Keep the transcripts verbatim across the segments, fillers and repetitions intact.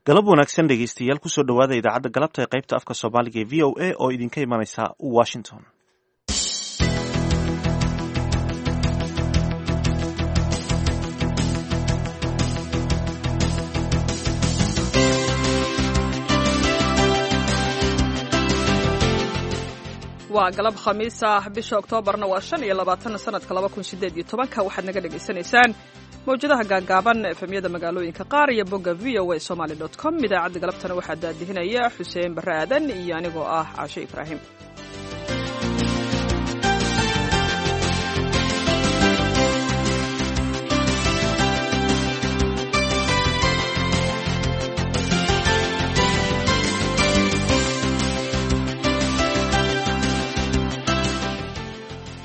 Galab wanaagsan dhegeystayaal, kusoo dhowaada idaacadda galabta ee qaybta afka Soomaaliga ee V O A oo idinka imanaysa Washington. Waa galab Khamiis ah, bisha Oktoobarna waa shan iyo labaatan sanadka laba kun sideed iyo tobanka. Waxaad naga dhagaysanaysaan mawjadaha gaagaaban, efemyada magaalooyinka qaar iyo bogga V O A Somali dot com. Idaacadda galabtana waxaa daadihinaya Xuseen Barre Aadan iyo anigoo ah Caashe Ibraahim.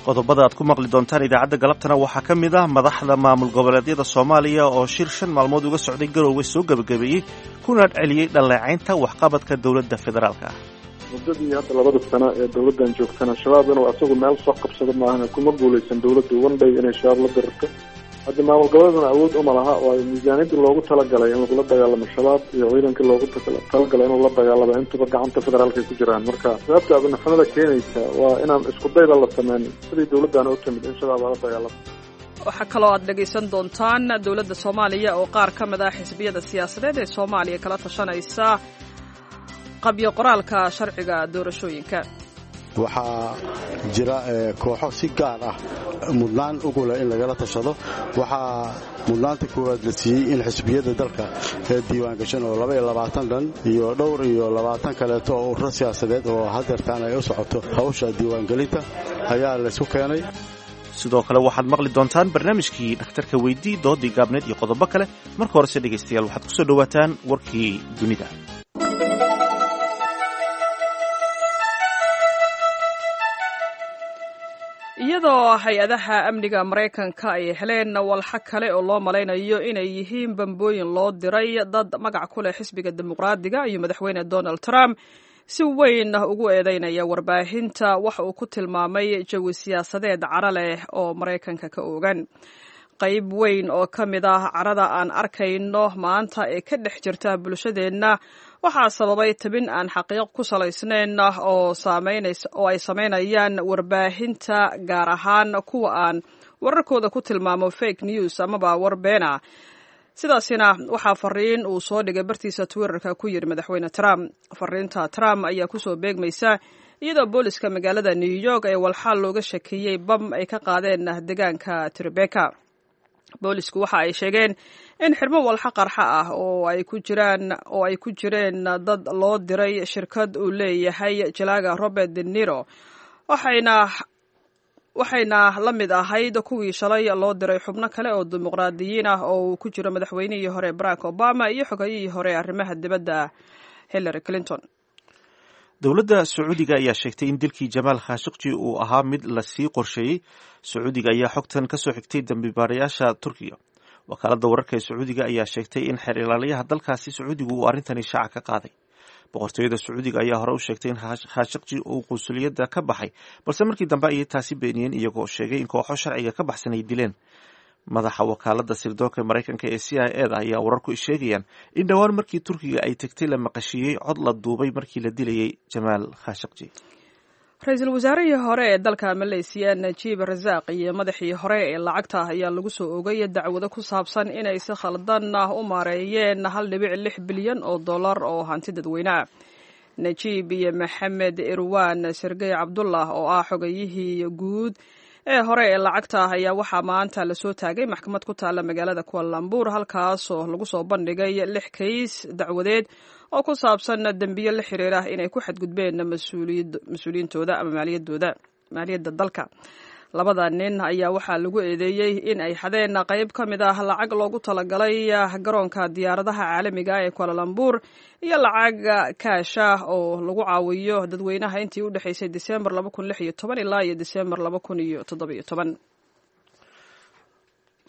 Qodobada aad ku maqli doontaan idaacadda galabtana waxaa ka mid ah madaxda maamul goboleedyada Soomaaliya oo shir shan maalmood uga socday Garoowe soo gebagabeeyey, kuna celiyey dhaleecaynta waxqabadka dowladda federaalka ah. Muddadii hadda labada sano ee dowladdan joogtana, Shabaab inuu asagu meel soo qabsado maahan, kuma guulaysan dowladdu one day inay Shabaab la dirirto. Hadda maamul goboleedna awood uma laha, oo ay miisaaniyadii loogu talagalay in lagula dagaalamo Shabaab iyo ciidankii loogu talagalay inuu la dagaalamo intuba gacanta federaalka ay ku jiraan. Marka sababta abinaxumada keenaysa waa inaan isku dayba la sameyn sidii dowladdan u timid in Shabaab lala dagaalamo. Waxaa kaloo aad dhegaysan doontaan dowladda Soomaaliya oo qaar ka mid ah xisbiyada siyaasadeed ee Soomaaliya kala tashanaysa qabyo qoraalka sharciga doorashooyinka. Waxaa jira kooxo si gaar ah mudnaan ugu leh in lagala tashado. Waxaa mudnaanta koowaad la siiyey in xisbiyada dalka ee diiwaangashan oo laba iyo labaatan dhan iyo dhowr iyo labaatan kaleeto oo ururo siyaasadeed oo hadeertaan ay u socoto hawsha diiwaangelinta ayaa laysku keenay. Sidoo kale waxaad maqli doontaan barnaamijkii Dhakhtarka Weydii, doodii gaabneed iyo qodobo kale. Marka horese dhegaystayaal, waxaad kusoo dhowaataan warkii dunida. Iyadoo hay-adaha amniga Maraykanka ay heleen walxa kale oo loo malaynayo inay yihiin bambooyin loo diray dad magac ku leh xisbiga Dimuqraadiga iyo madaxweyne Donald Trump, si weyn ugu eedeynaya warbaahinta waxa uu ku tilmaamay jawi siyaasadeed cara leh oo Maraykanka ka oogan. Qayb weyn oo ka mid ah carada aan arkayno maanta ee ka dhex jirta bulshadeenna waxaa sababay tabin aan xaqiiq ku salaysnayn oo oo ay samaynayaan warbaahinta, gaar ahaan kuwa aan wararkooda ku tilmaamo fake news amaba war beena. Sidaasina waxaa fariin uu soo dhigay bartiisa Twitterka ku yidhi madaxweyne Trump. Fariinta Trump ayaa kusoo beegmaysa iyadoo booliska magaalada New York ee walxaal looga shakeeyey bam ay ka qaadeen deegaanka Tribeca. Boolisku waxa ay sheegeen in xirmo walxa qarxa ah oo ay ku jiraan oo ay ku jireen dad loo diray shirkad uu leeyahay jalaaga Robert De Niro, waxayna waxayna la mid ahayd kuwii shalay loo diray xubno kale oo dimuqraadiyiin ah oo uu ku jiro madaxweynihii hore Barack Obama iyo xogayihii hore arrimaha dibadda Hillary Clinton. Dowladda Sacuudiga ayaa sheegtay in dilkii Jamaal Khashaqji uu ahaa mid lasii qorsheeyey. Sacuudiga ayaa xogtan kasoo xigtay dambibaarayaasha Turkiga. Wakaaladda wararka ee Sacuudiga ayaa sheegtay in xeer ilaaliyaha dalkaasi Sacuudigu uu arrintani shaaca ka qaaday. Boqortooyada Sacuudiga ayaa hore u sheegtay in Khashaqji uu qunsuliyadda ka baxay, balse markii dambe ayay taasi beeniyeen, iyagoo sheegay in kooxo sharciga ka baxsan ay dileen. Madaxa wakaalada sirdoonka Maraykanka ee C I A da ayaa wararku sheegayaan in dhowaan markii Turkiga ay tegtay la maqashiiyey cod la duubay markii la dilayay Jamaal Khashaqji. Ra-iisul wasaarihii hore ee dalka Maleysiya Najiib Rasaaq iyo madaxii hore ee lacagta ayaa lagu soo ogay dacwado ku saabsan inay si khaldan u maareeyeen hal dhibic lix bilyan oo dollar oo hanti dadweyneah. Najiib iyo Maxamed Irwan Sergey Cabdullah oo ah xogayihii guud ee hore ee lacagta ayaa waxaa maanta lasoo taagay maxkamad ku taalla magaalada Kuala Lumpur, halkaasoo lagu soo bandhigay lix kays dacwadeed oo ku saabsan dembiyo la xiriira inay ku xadgudbeen mas-uuliyiintooda ama maaliyadooda, maaliyadda dalka. Labada nin ayaa waxaa lagu eedeeyey in ay xadeen qayb ka mid ah lacag loogu talagalay garoonka diyaaradaha caalamiga ee Kuala Lumpur iyo lacag kaash ah oo lagu caawiyo dadweynaha intii u dhexaysay Disembar laba kun lix iyo toban ilaa iyo Disembar laba kun iyo toddoba iyo toban.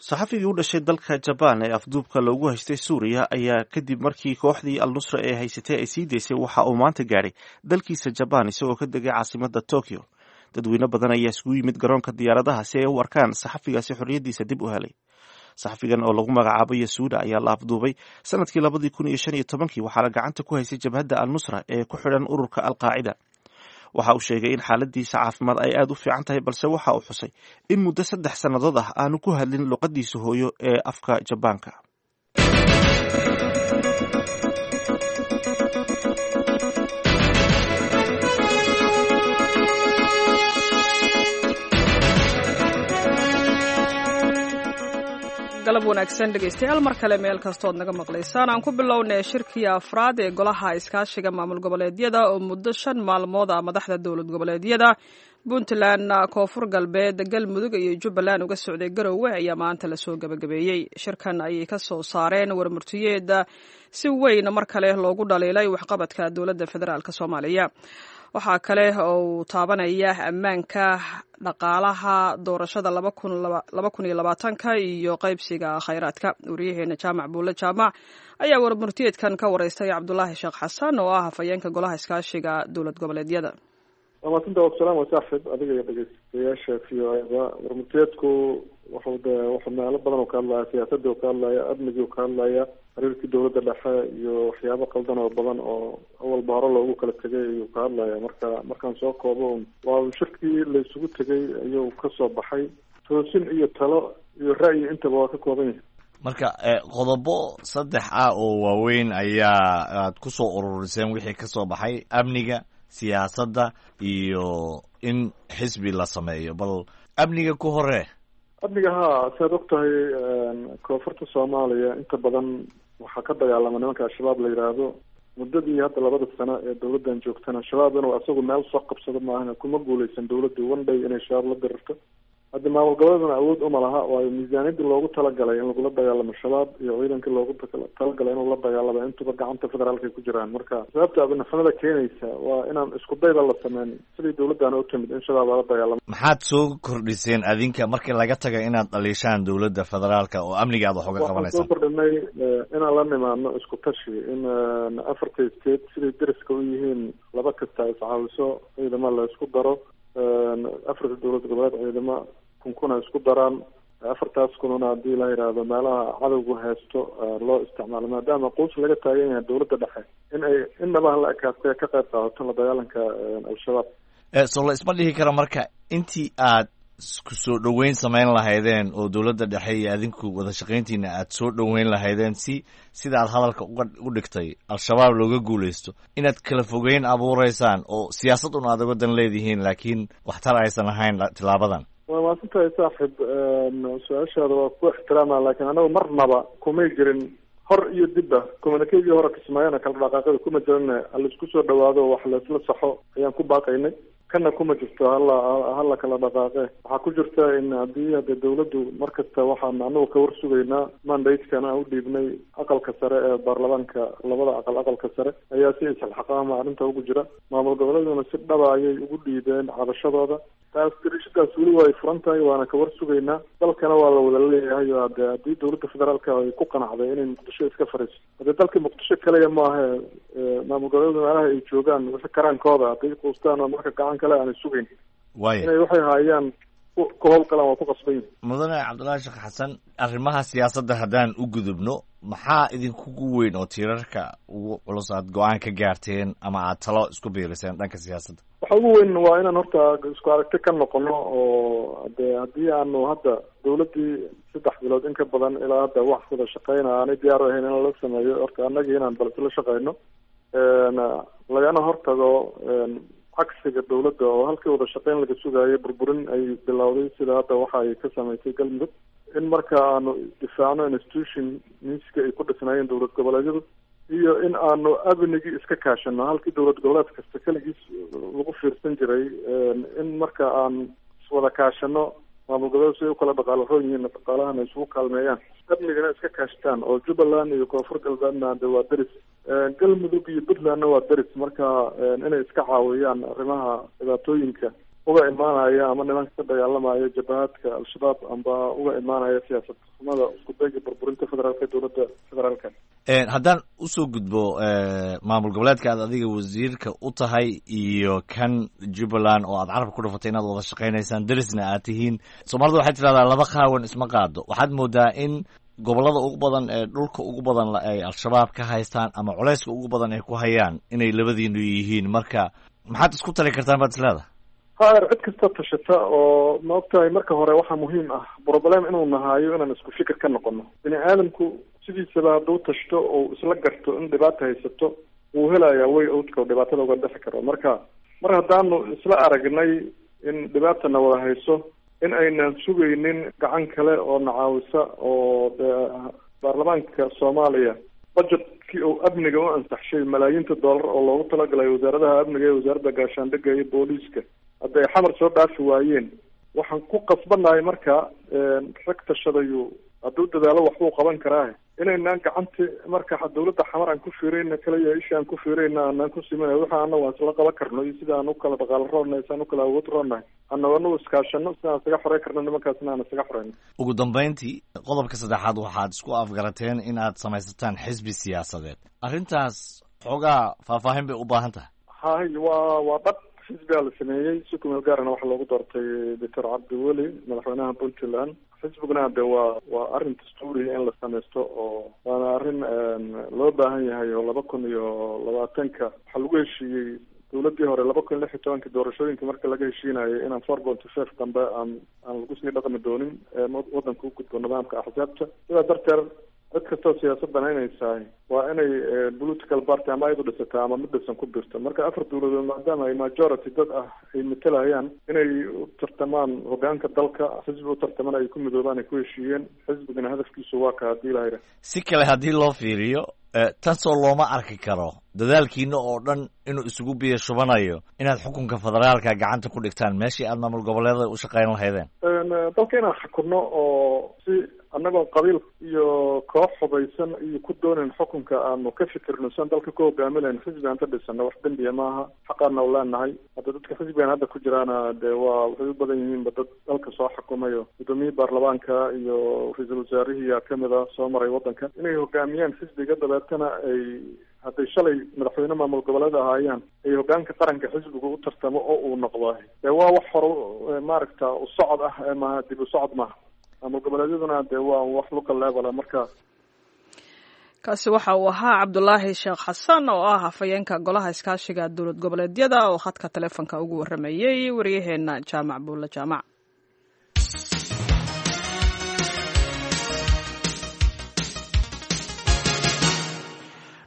Saxafigii u dhashay dalka Jabaan ee afduubka loogu haystay Suuriya ayaa kadib markii kooxdii Al Nusra ee haysatay ay sii daysay waxa uu maanta gaadhay dalkiisa Jabaan, isagoo ka degay caasimada Tokyo. Dadweyne badan ayaa isugu yimid garoonka diyaaradaha si ay u arkaan saxafigaasi xorriyaddiisa dib u helay. Saxafigan oo lagu magacaabo Yasuuda ayaa la afduubay sanadkii labadii kun iyo shan iyo tobankii, waxaana gacanta ku haysay jabhadda Al-Nusra ee ku xidhan ururka Al-Qaacida. Waxa uu sheegay in xaaladiisa caafimaad ay aada u fiican tahay, balse waxa uu xusay in muddo saddex sannadood ah aanu ku hadlin luqadiisa hooyo ee afka Jabaanka. Galab wanaagsan dhegeystayaal, mar kale meel kastood naga maqlaysaan. Aan ku bilownay shirkii afraad ee golaha iskaashiga maamul goboleedyada oo muddo shan maalmood ah madaxda dowlad goboleedyada Puntland, Koonfur Galbeed, Galmudug iyo Jubbaland uga socday Garowe ayaa maanta lasoo gabagabeeyey. Shirkan ayay ka soo saareen warmurtiyeeda si weyn mar kale loogu dhaliilay waxqabadka dowladda federaalk Soomaaliya. Waxaa kale oo uu taabanaya ammaanka, dhaqaalaha, doorashada laba kun iyo labaatanka iyo qaybsiga khayraadka. Wariyaheena Jaamac Buulle Jaamac ayaa warmurtiyeedkan ka wareystay Cabdulaahi Sheekh Xasan oo ah hafayeenka golaha iskaashiga dowlad goboleedyada. Waa mahadsanta, wasalaam waa saaxib adiga iyo dhegeystayaasha V O A-da. Warmurtiyeedku wuxuu de wuxuu meelo badan oo ka hadlaya, siyaasadii oo ka hadlaya, amnigii oo ka hadlaya, xiriirkii dowladda dhexe iyo waxyaabo qaldan oo badan oo awalba hore loogu kala tegay ayuu ka hadlaya. Marka markaan soo koobo, waa shirkii la isugu tegay ayuu kasoo baxay, toosin iyo talo iyo ra'yi intaba waa ka kooban yahay. Marka qodobo saddex ah oo waaweyn ayaa aad kusoo ururiseen wixii kasoo baxay: amniga, siyaasadda iyo in xisbi la sameeyo. Bal amniga ku hore. Amniga, haa, siaad og tahay koonfurta Soomaaliya inta badan waxaa ka dagaalama nimanka Al-Shabaab la yidhaahdo. Muddadii hadda labada sano ee dowladdan joogtana, Shabaab inuu asagu meel soo qabsado maahana kuma guuleysan dowladdu one day inay Shabaab la dirirto. Hadda maamul goboleedna awood uma laha, waayo miisaaniyadii loogu talagalay in lagula dagaalamo Shabaab iyo ciidankii loogu talagalay inuu la dagaalamo intuba gacanta federaalka ay ku jiraan. Marka sababta abinafnada keenaysa waa inaan isku dayba la sameyn sidii dowladdan u timid in Shabaab lala dagaalamo. Maxaad soo kordhiseen adinka markii laga taga inaad dhaliishaan dowladda federaalka oo amniga aad wax uga Waxaan qabanaysaan? soo kordhinay inaan la nimaadno isku tashi, in afarta state siday deriska u yihiin laba kasta iscaawiso, ciidamo la isku daro, afarta dowlad goboleed ciidamo kun kuna isku daraan, afartaas kununa haddii la yidhaahdo meelaha cadowgu haysto loo isticmaalo, maadaama quus laga taagan yahay dowladda dhexe in ay innaba hala ekaatee ka qayb qaadato la dagaalanka Al-Shabaab. So la isma dhihi karo marka intii aad isku soo dhoweyn samayn lahaydeen oo dowladda dhexe iyo adinku wada shaqayntiina aad soo dhoweyn lahaydeen si sida aad hadalka uga u dhigtay Al-Shabaab looga guuleysto, inaad kala fogeyn abuureysaan oo siyaasad un aad uga dan leedihiin, laakiin waxtar aysan ahayn tilaabadan? Waa mahadsantahay saaxib, su-aashaada waa ku ixtiraama, laakiin anagu marnaba kumay jirin hor iyo dibba communiquegii hore Kismaayana kala dhaqaaqada kuma jirin. Halaisku soo dhawaado, wax laisla saxo ayaan ku baaqaynay. Kana kuma jirto hala hala kala dhaqaaqe. Waxaa ku jirta in haddii hadda dowladdu mar kasta waxaan anagu ka warsugaynaa mandate-kana aan u dhiibnay aqalka sare ee baarlamaanka, labada aqal, aqalka sare ayaa si isxilxaqaama arrinta ugu jira. Maamul goboleeduna si dhaba ayay ugu dhiibeen cabashadooda. Taas dirishadaas weli way furan tahay, waana ka warsugaynaa. Dalkana waa la wada leeyahay, oo hade haddii dowladda federaalka ay ku qanacday inay Muqdisho iska fariiso, haddee dalka Muqdisho kaliya maaha, maamul goboleedu meelaha ay joogaan wixii karaankooda hadday quustaan oo marka gacan kale aanay sugayn Waaya inay waxay haayaan ku howlgalaan waa ku qasban yihin. Mudane Cabdullaahi Sheekh Xasan, arrimaha siyaasadda haddaan u gudubno, maxaa idinkugu weyn oo tiirarka ugu culus aad go-aan ka gaarteen ama aad talo isku biiriseen dhanka siyaasadda? Waxa ugu weyn waa inaan horta isku aragti ka noqono, oo de haddii aanu hadda dowladdii saddex bilood in ka badan ilaa hadda wax wada shaqeyna aanay diyaar u ahayn in lala sameeyo, horta annagii inaan bal isla shaqeyno, lagana hortago cagsiga dowladda oo halkii wada shaqeyn laga sugaayay burburin ay bilowday, sida hadda waxa ay ka sameysay Galmudug. In marka aanu difaacno institution miiska ay ku dhisnaayeen dowlad goboleedyadu iyo in aanu amnigii iska kaashano halkii dowlad goboleed kasta keligiis lagu fiirsan jiray, in marka aan iswada kaashano maamul goboleed si ay ukala dhaqaalo roon yihiin, dhaqaalahana isugu kaalmeeyaan, amnigana iska kaashtaan. Oo Jubbaland iyo Koonfur Galbeedna de waa deris, Galmudug iyo Puntlandna waa deris, marka inay iska caawiyaan arrimaha dhibaatooyinka Uga imaanaya ama nimanka ka dagaalamaya jabahadka Al-Shabaab amba uga imaanaya siyaasad xumada isku dayga burburinta federaalka dowladda federaalka. Haddaan usoo gudbo maamul goboleedka aad adiga wasiirka u tahay iyo kan Jubbaland oo aad carabka ku dhufatay inaad wada shaqaynaysaan, derisna aad tihiin, Soomaalida waxay tidhahdaa laba qaawan isma qaado. Waxaad moodaa in gobollada ugu badan ee dhulka ugu badan ay Al-Shabaab ka haystaan ama culayska ugu badan ay ku hayaan inay labadiinu yihiin. Marka maxaad isku tali kartaan baad isleedahay? Haer, cid kasta tashata oo ma ogtahay, marka hore waxaa muhiim ah problem inuu nahaayo inaan isku fikir ka noqono. Bini aadamku sidiisaba hadduu tashto oo isla garto in dhibaata haysato, wuu helayaa way owdka oo dhibaatada uga dhexi karo. Marka mar haddaanu isla aragnay in dhibaatana wada hayso, in aynan sugaynin gacan kale oo nacaawisa, oo dee baarlamaanka Soomaaliya budgetkii uu amniga u ansaxshay, malaayiinta dollar oo loogu talagalay wasaaradaha amniga iyo wasaaradda gaashaandhigga iyo booliiska, hadday Xamar soo dhaafi waayeen, waxaan ku qasbanahay marka rag tashadayu hadduu dadaalo waxbuu qaban karaa, inaynaan gacanti marka dawladda Xamar aan ku fiirayna kaliya, isha aan ku fiirayna aanaan ku simanay. Waxa ana waan isla qaban karno iyo sida aan u kala dhaqaalo roonnahay, si aan u kala awood roonnahay, annago anagu iskaashano si aan isaga xorey karno nimankaasna aan isaga xoreyno. Ugu dambeyntii, qodobka saddexaad, waxaad isku afgarateen in aad samaysataan xisbi siyaasadeed. Arrintaas xoogaa faahfaahin bay u baahan tahay. Hay, waa waa dhab, xisbigaa la sameeyey si kumeel gaarana waxaa loogu doortay Doctor Cabdiweli madaxweynaha Puntland. Xisbiguna de waa waa arrin dastuuriya in la sameysto oo waana arrin loo baahan yahay, oo laba kun iyo labaatanka waxaa lagu heshiiyey dowladdii hore laba kun lix iyo tobanka doorashooyinka marka laga heshiinayay inaan four point five dambe aan aan lagu sii dhaqmi doonin, waddanka u gudbo nidaamka axsaabta. Sidaa darteed cid kastoo siyaasad banaynaysahay waa inay political party ama ayadu dhisataa ama mid dhisan ku birto. Marka afar dowladood maadaama ay majority dad ah ay matalayaan inay u tartamaan hogaanka dalka, xisbi u tartamaan ay ku midoobaan ay ku heshiiyeen. Xisbigana hadafkiisu waa ka haddii lahayra. Si kale haddii loo fiiriyo, tan soo looma arki karo dadaalkiina oo dhan inuu isugu biyo shubanayo inaad xukunka federaalka gacanta ku dhigtaan meeshii aad maamul goboleedada u shaqayn lahaydeen? Dalka inaan xukunno oo si annagoo qabiil iyo koox hubaysan iyo ku doonayn xukunka aanu ka fikirno siaan dalka ku hogaaminayn, xisbi aan ka dhisano wax dembiya maaha, xaqaana u leenahay. Hadda dadka xisbigan hadda ku jiraana dee waa waxay u badan yihiinba dad dalka soo xukumayo, gudoomiyihii baarlamaanka iyo ra-iisul wasaarihiiyaa kamid a soo maray waddanka, inay hogaamiyaan xisbiga, dabeetana ay hadday shalay madaxweyne maamul goboleed ahaayaan ay hogaanka qaranka xisbigu u tartamo oo uu noqdo. Dee waa wax hore maaragta u socod ah ee maaha dib u socod maaha. Maamul goboleedyaduna dee waa wax local level marka. Kaasi waxa uu ahaa Cabdulaahi Sheekh Xasan oo ah hafayeenka golaha iskaashiga dowlad goboleedyada oo khadka taleefonka ugu warramayey waryaheena Jaamac Buulle Jaamac.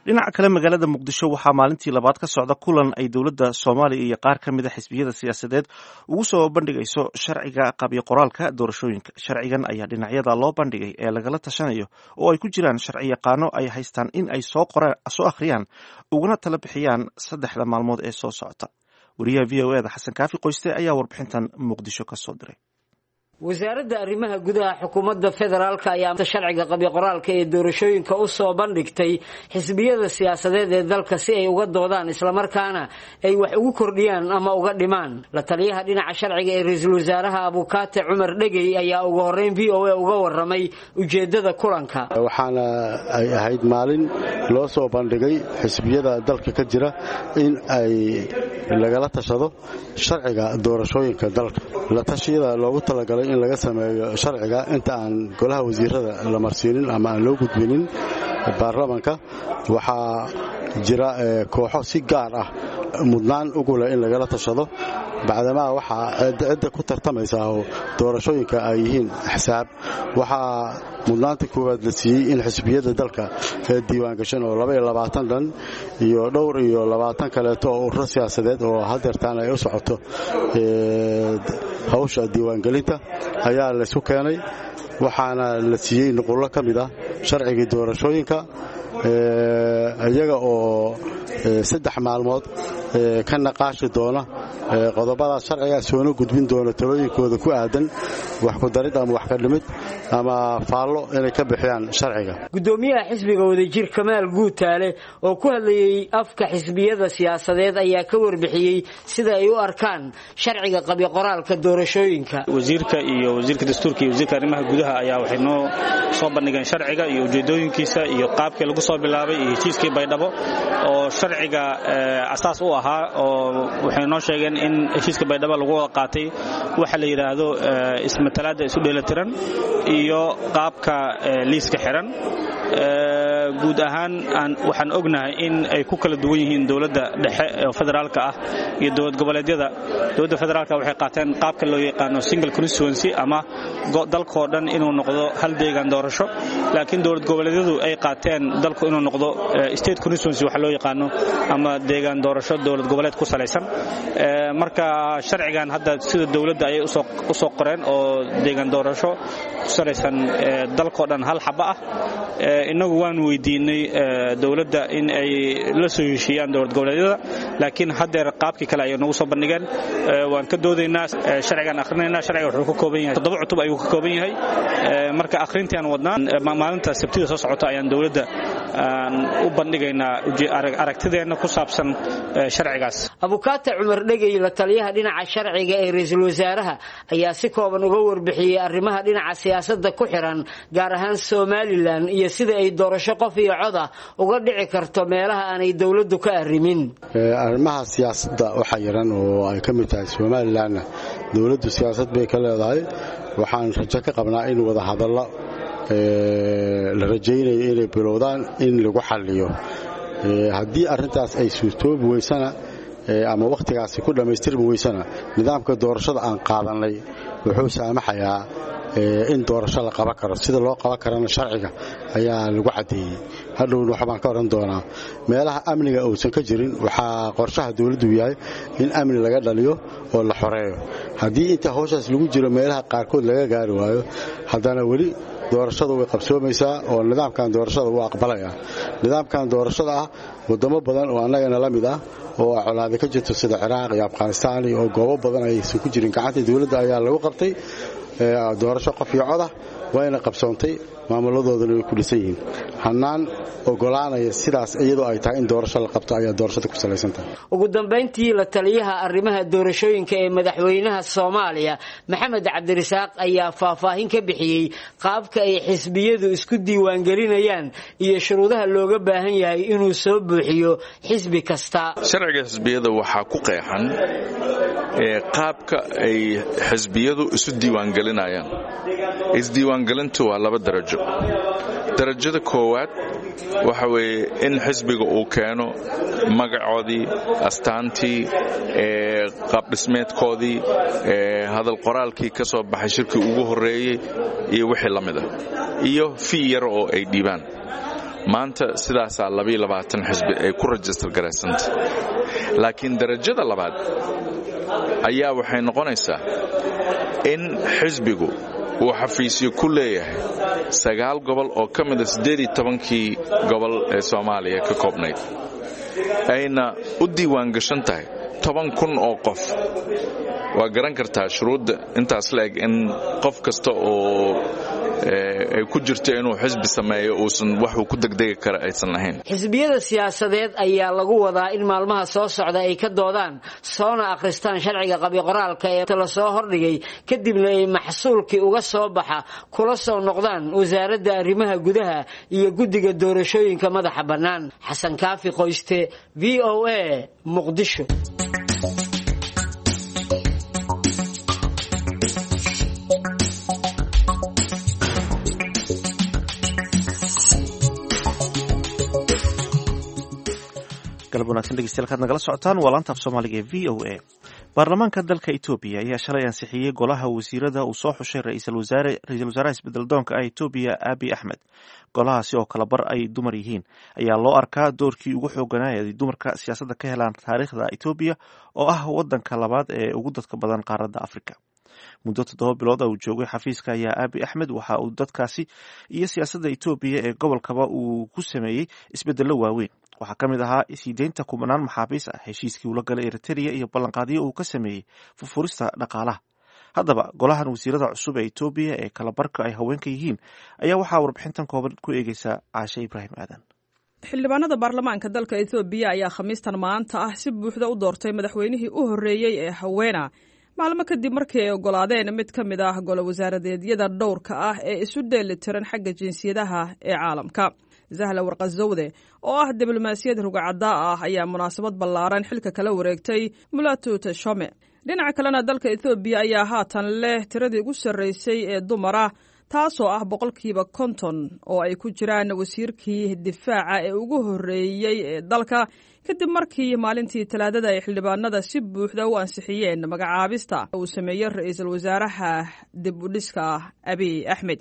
Dhinaca kale, magaalada Muqdisho waxaa maalintii labaad ka socda kulan ay dowladda Soomaaliya iyo qaar ka mid a xisbiyada siyaasadeed ugu soo bandhigayso sharciga qabyo qoraalka doorashooyinka. Sharcigan ayaa dhinacyada loo bandhigay ee lagala tashanayo oo ay ku jiraan sharci yaqaano ay haystaan in ay soo qoraan, soo akhriyaan, uguna tala bixiyaan saddexda maalmood ee soo socota. Wariyaha V O E da Xasan Kaafi Qoyste ayaa warbixintan Muqdisho ka soo diray. Wasaaradda arrimaha gudaha xukuumadda federaalka ayaa sharciga qabyo qoraalka ee doorashooyinka u soo bandhigtay xisbiyada siyaasadeed ee dalka si ay uga doodaan, islamarkaana ay wax ugu kordhiyaan ama uga dhimaan. La taliyaha dhinaca sharciga ee ra-iisul wasaaraha, Abukaate Cumar Dhegey, ayaa ugu horreyn V O A uga warramay ujeeddada kulanka. Waxaana ay ahayd maalin loo soo bandhigay xisbiyada dalka ka jira in ay lagala tashado sharciga doorashooyinka dalka. La tashiyada loogu talagalay in laga sameeyo sharciga inta aan golaha wasiirada la marsiinin ama aan loo gudbinin baarlamanka, waxaa jira kooxo si gaar ah mudnaan ugu leh in lagala tashado, bacdamaa waxaa cidda ku tartamaysa oo doorashooyinka ay yihiin axsaab. Waxaa mudnaanta koowaad la siiyey in xisbiyada dalka ee diiwaangashan oo laba iyo labaatan dhan iyo dhowr iyo labaatan kaleeto oo ururo siyaasadeed oo hadeertaan ay u socoto hawsha diiwaangelinta ayaa laysku keenay. Waxaana la siiyey nuqullo ka mid ah sharcigii doorashooyinka. Iyaga oo saddex maalmood ka naqaashi doona qodobadaas sharciga, soona gudbin doona talooyinkooda ku aadan wax ku darid ama wax ka dhimid ama faallo inay ka bixiyaan sharciga. Gudoomiyaha xisbiga Wadajir, Kamaal Guutaale, oo ku hadlayey afka xisbiyada siyaasadeed, ayaa ka warbixiyey sida ay u arkaan sharciga qabyo qoraalka doorashooyinka. Wasiirka iyo wasiirka dastuurka iyo wasiirka arrimaha gudaha ayaa waxay noo soo bandhigeen sharciga iyo ujeedooyinkiisa iyo qaabkii lagu soo bilaabay iyo heshiiskii Baydhabo oo sharciga asaas u ahaa, oo waxay noo sheegeen in heshiiska Baydhabo lagu wada qaatay waxa la yidhaahdo ismatalaadda isu dheelitiran iyo qaabka liiska xiran. Guud ahaan waxaan ognahay in ay ku kala duwan yihiin dowladda dhexe oo federaalka ah iyo dowlad goboleedyada. Dowladda federaalka waxay qaateen qaabka loo yaqaano single constituency ama dalkoo dhan inuu noqdo hal deegaan doorasho, laakiin dowlad goboleedyadu ay qaateen dalku inuu noqdo state constituency waxa loo yaqaano ama deegaan doorasho dowlad goboleed ku salaysan. Marka sharcigan hadda sida dowladda ayay u soo qoreen oo deegaan doorasho ku salaysan dalkoo dhan hal xaba ah. Innagu waan weydiinay dowladda in ay la soo heshiiyaan dowlad goboleedyada, laakiin haddeer qaabkii kale ayay nagu soo bandhigeen. Waan ka doodaynaa, sharcigaan akhrinaynaa. Sharciga wuxuu ka kooban yahay toddoba cutub ayuu ka kooban yahay. Marka akhrintii aan wadnaa, maalinta Sabtida soo socota ayaan dowladda u bandhigaynaa aragtideenna ku saabsan sharcigaas. Abukaata Cumar Dhegey, la taliyaha dhinaca sharciga ee ra-iisul wasaaraha, ayaa si kooban uga warbixiyey arrimaha dhinaca siyaasadda ku xiran, gaar ahaan Somalilan, iyo sida ay doorasho qof iyo cod ah uga dhici karto meelaha aanay dowladdu ka arrimin. Arrimaha siyaasadda waxaa yaran oo ay ka mid tahay Somalilanna dowladdu siyaasad bay ka leedahay. Waxaan rajo ka qabnaa in wada hadallo la rajaynayo inay bilowdaan in lagu xalliyo. Haddii arrintaas ay suurtoobi weysana ama wakhtigaasi ku dhammaystirmi weysana, nidaamka doorashada aan qaadannay wuxuu saamaxayaa in doorasho la qaban karo. Sida loo qaban karana sharciga ayaa lagu caddeeyey. Hadhowna waxbaan ka odhan doonaa. Meelaha amniga uusan ka jirin, waxaa qorshaha dowladdu yahay in amni laga dhaliyo oo la xoreeyo. Haddii inta hawshaas lagu jiro meelaha qaarkood laga gaari waayo, haddana weli doorashadu way qabsoomaysaa oo nidaamkan doorashada wuu aqbalaya. Nidaamkan doorashada ah, wadamo badan oo annagana la mid ah oo colaada ka jirto, sida Ciraaq iyo Afghanistaan, oo goobo badan aysan ku jirin gacanta dowladda, ayaa lagu qabtay doorasho qof iyo codah, wayna qabsoontay, maamuladoodana way ku dhisan yihiin. Hannaan ogolaanaya sidaas iyadoo ay tahay in doorasho la qabto ayaa doorashada ku salaysan tahay. Ugu dambayntii, la taliyaha arrimaha doorashooyinka ee madaxweynaha Soomaaliya, Maxamed Cabdirasaaq, ayaa faahfaahin ka bixiyey qaabka ay xisbiyadu isku diiwaangelinayaan iyo shuruudaha looga baahan yahay inuu soo buuxiyo xisbi kasta. Sharciga xisbiyada waxaa ku qeexan qaabka ay xisbiyadu isu diiwaangelinayaan. Isdiiwaangelintu waa laba darajo. Darajada koowaad waxa weeye in xisbiga uu keeno magacoodii, astaantii, qaabdhismeedkoodii, hadal qoraalkii ka soo baxay shirkii ugu horreeyey iyo wixii la mid ah, iyo fii yar oo ay dhiibaan. Maanta sidaasaa xisbi ay ku rajistar garaysanta. Laakiin darajada labaad ayaa waxay noqonaysaa in xisbigu uu xafiisyo ku leeyahay sagaal gobol oo ka mida siddeed iyo tobankii gobol ee Soomaaliya ka koobnayd, ayna u diiwaan gashan tahay toban kun oo qof. Waa garan kartaa shuruudda intaas la eg in qof kasta oo ay ku jirto inuu xisbi sameeyo uusan waxuu ku degdegi kara aysan ahayn. Xisbiyada siyaasadeed ayaa lagu wadaa in maalmaha soo socda ay ka doodaan soona akhristaan sharciga qabyo-qoraalka ee la soo hordhigay, kadibna ay maxsuulkii uga soo baxa kula soo noqdaan wasaaradda arrimaha gudaha iyo guddiga doorashooyinka madaxa bannaan. Xasan Kaafi Qoyste, V O A, Muqdisho. Galab wanaagsan dhegeystayaal, kaad nagala socotaan waa laanta af Soomaaliga ee V O A. Baarlamaanka dalka Etoobiya ayaa shalay ansixiyey golaha wasiirada uu soo xushay ra-iisul wasaare ra-iisul wasaaraha isbedeldoonka ah Etoobiya, Abiy Axmed. Golahaasi oo kala bar ay dumar yihiin ayaa loo arkaa doorkii ugu xooganaa ay dumarka siyaasadda ka helaan taariikhda Etoobiya, oo ah wadanka labaad ee ugu dadka badan qaaradda Afrika. Muddo toddoba bilood uu joogay xafiiska ayaa Abi Axmed waxa uu dadkaasi iyo siyaasadda Etoobiya ee gobolkaba uu ku sameeyey isbedello waaweyn. Waxaa ka mid ahaa siideynta kumanaan maxaabiis ah, heshiiskii ula galay Eritrea iyo ballanqaadyo uu ka sameeyey furfurista dhaqaalaha. Haddaba golahan wasiirada cusub ee Etoobiya ee kala barka ay haweenka yihiin ayaa waxaa warbixintan kooban ku eegeysa Caashe Ibraahim Aadan. Xildhibaanada baarlamaanka dalka Etoobiya ayaa Khamiistan maanta ah si buuxda u doortay madaxweynihii u horreeyey ee haweena, maalmo kadib markii ay oggolaadeen mid ka mid ah golo wasaaradeedyada dhowrka ah ee isu dheeli tiran xagga jinsiyadaha ee caalamka. Zahla Warqazowde oo ah diblomaasiyad rugacaddaa ah ayaa munaasabad ballaaran xilka kala wareegtay Mulatu Teshome. Dhinaca kalena, dalka Etoobiya ayaa haatan leh tiradii ugu sarreysay ee dumara, taasoo ah boqolkiiba konton, oo ay ku jiraan wasiirkii difaaca ee ugu horreeyey ee dalka, kadib markii maalintii Talaadada ay xildhibaanada si buuxda u ansixiyeen magacaabista uu sameeyey ra-iisul wasaaraha dib u dhiska Abiy Axmed.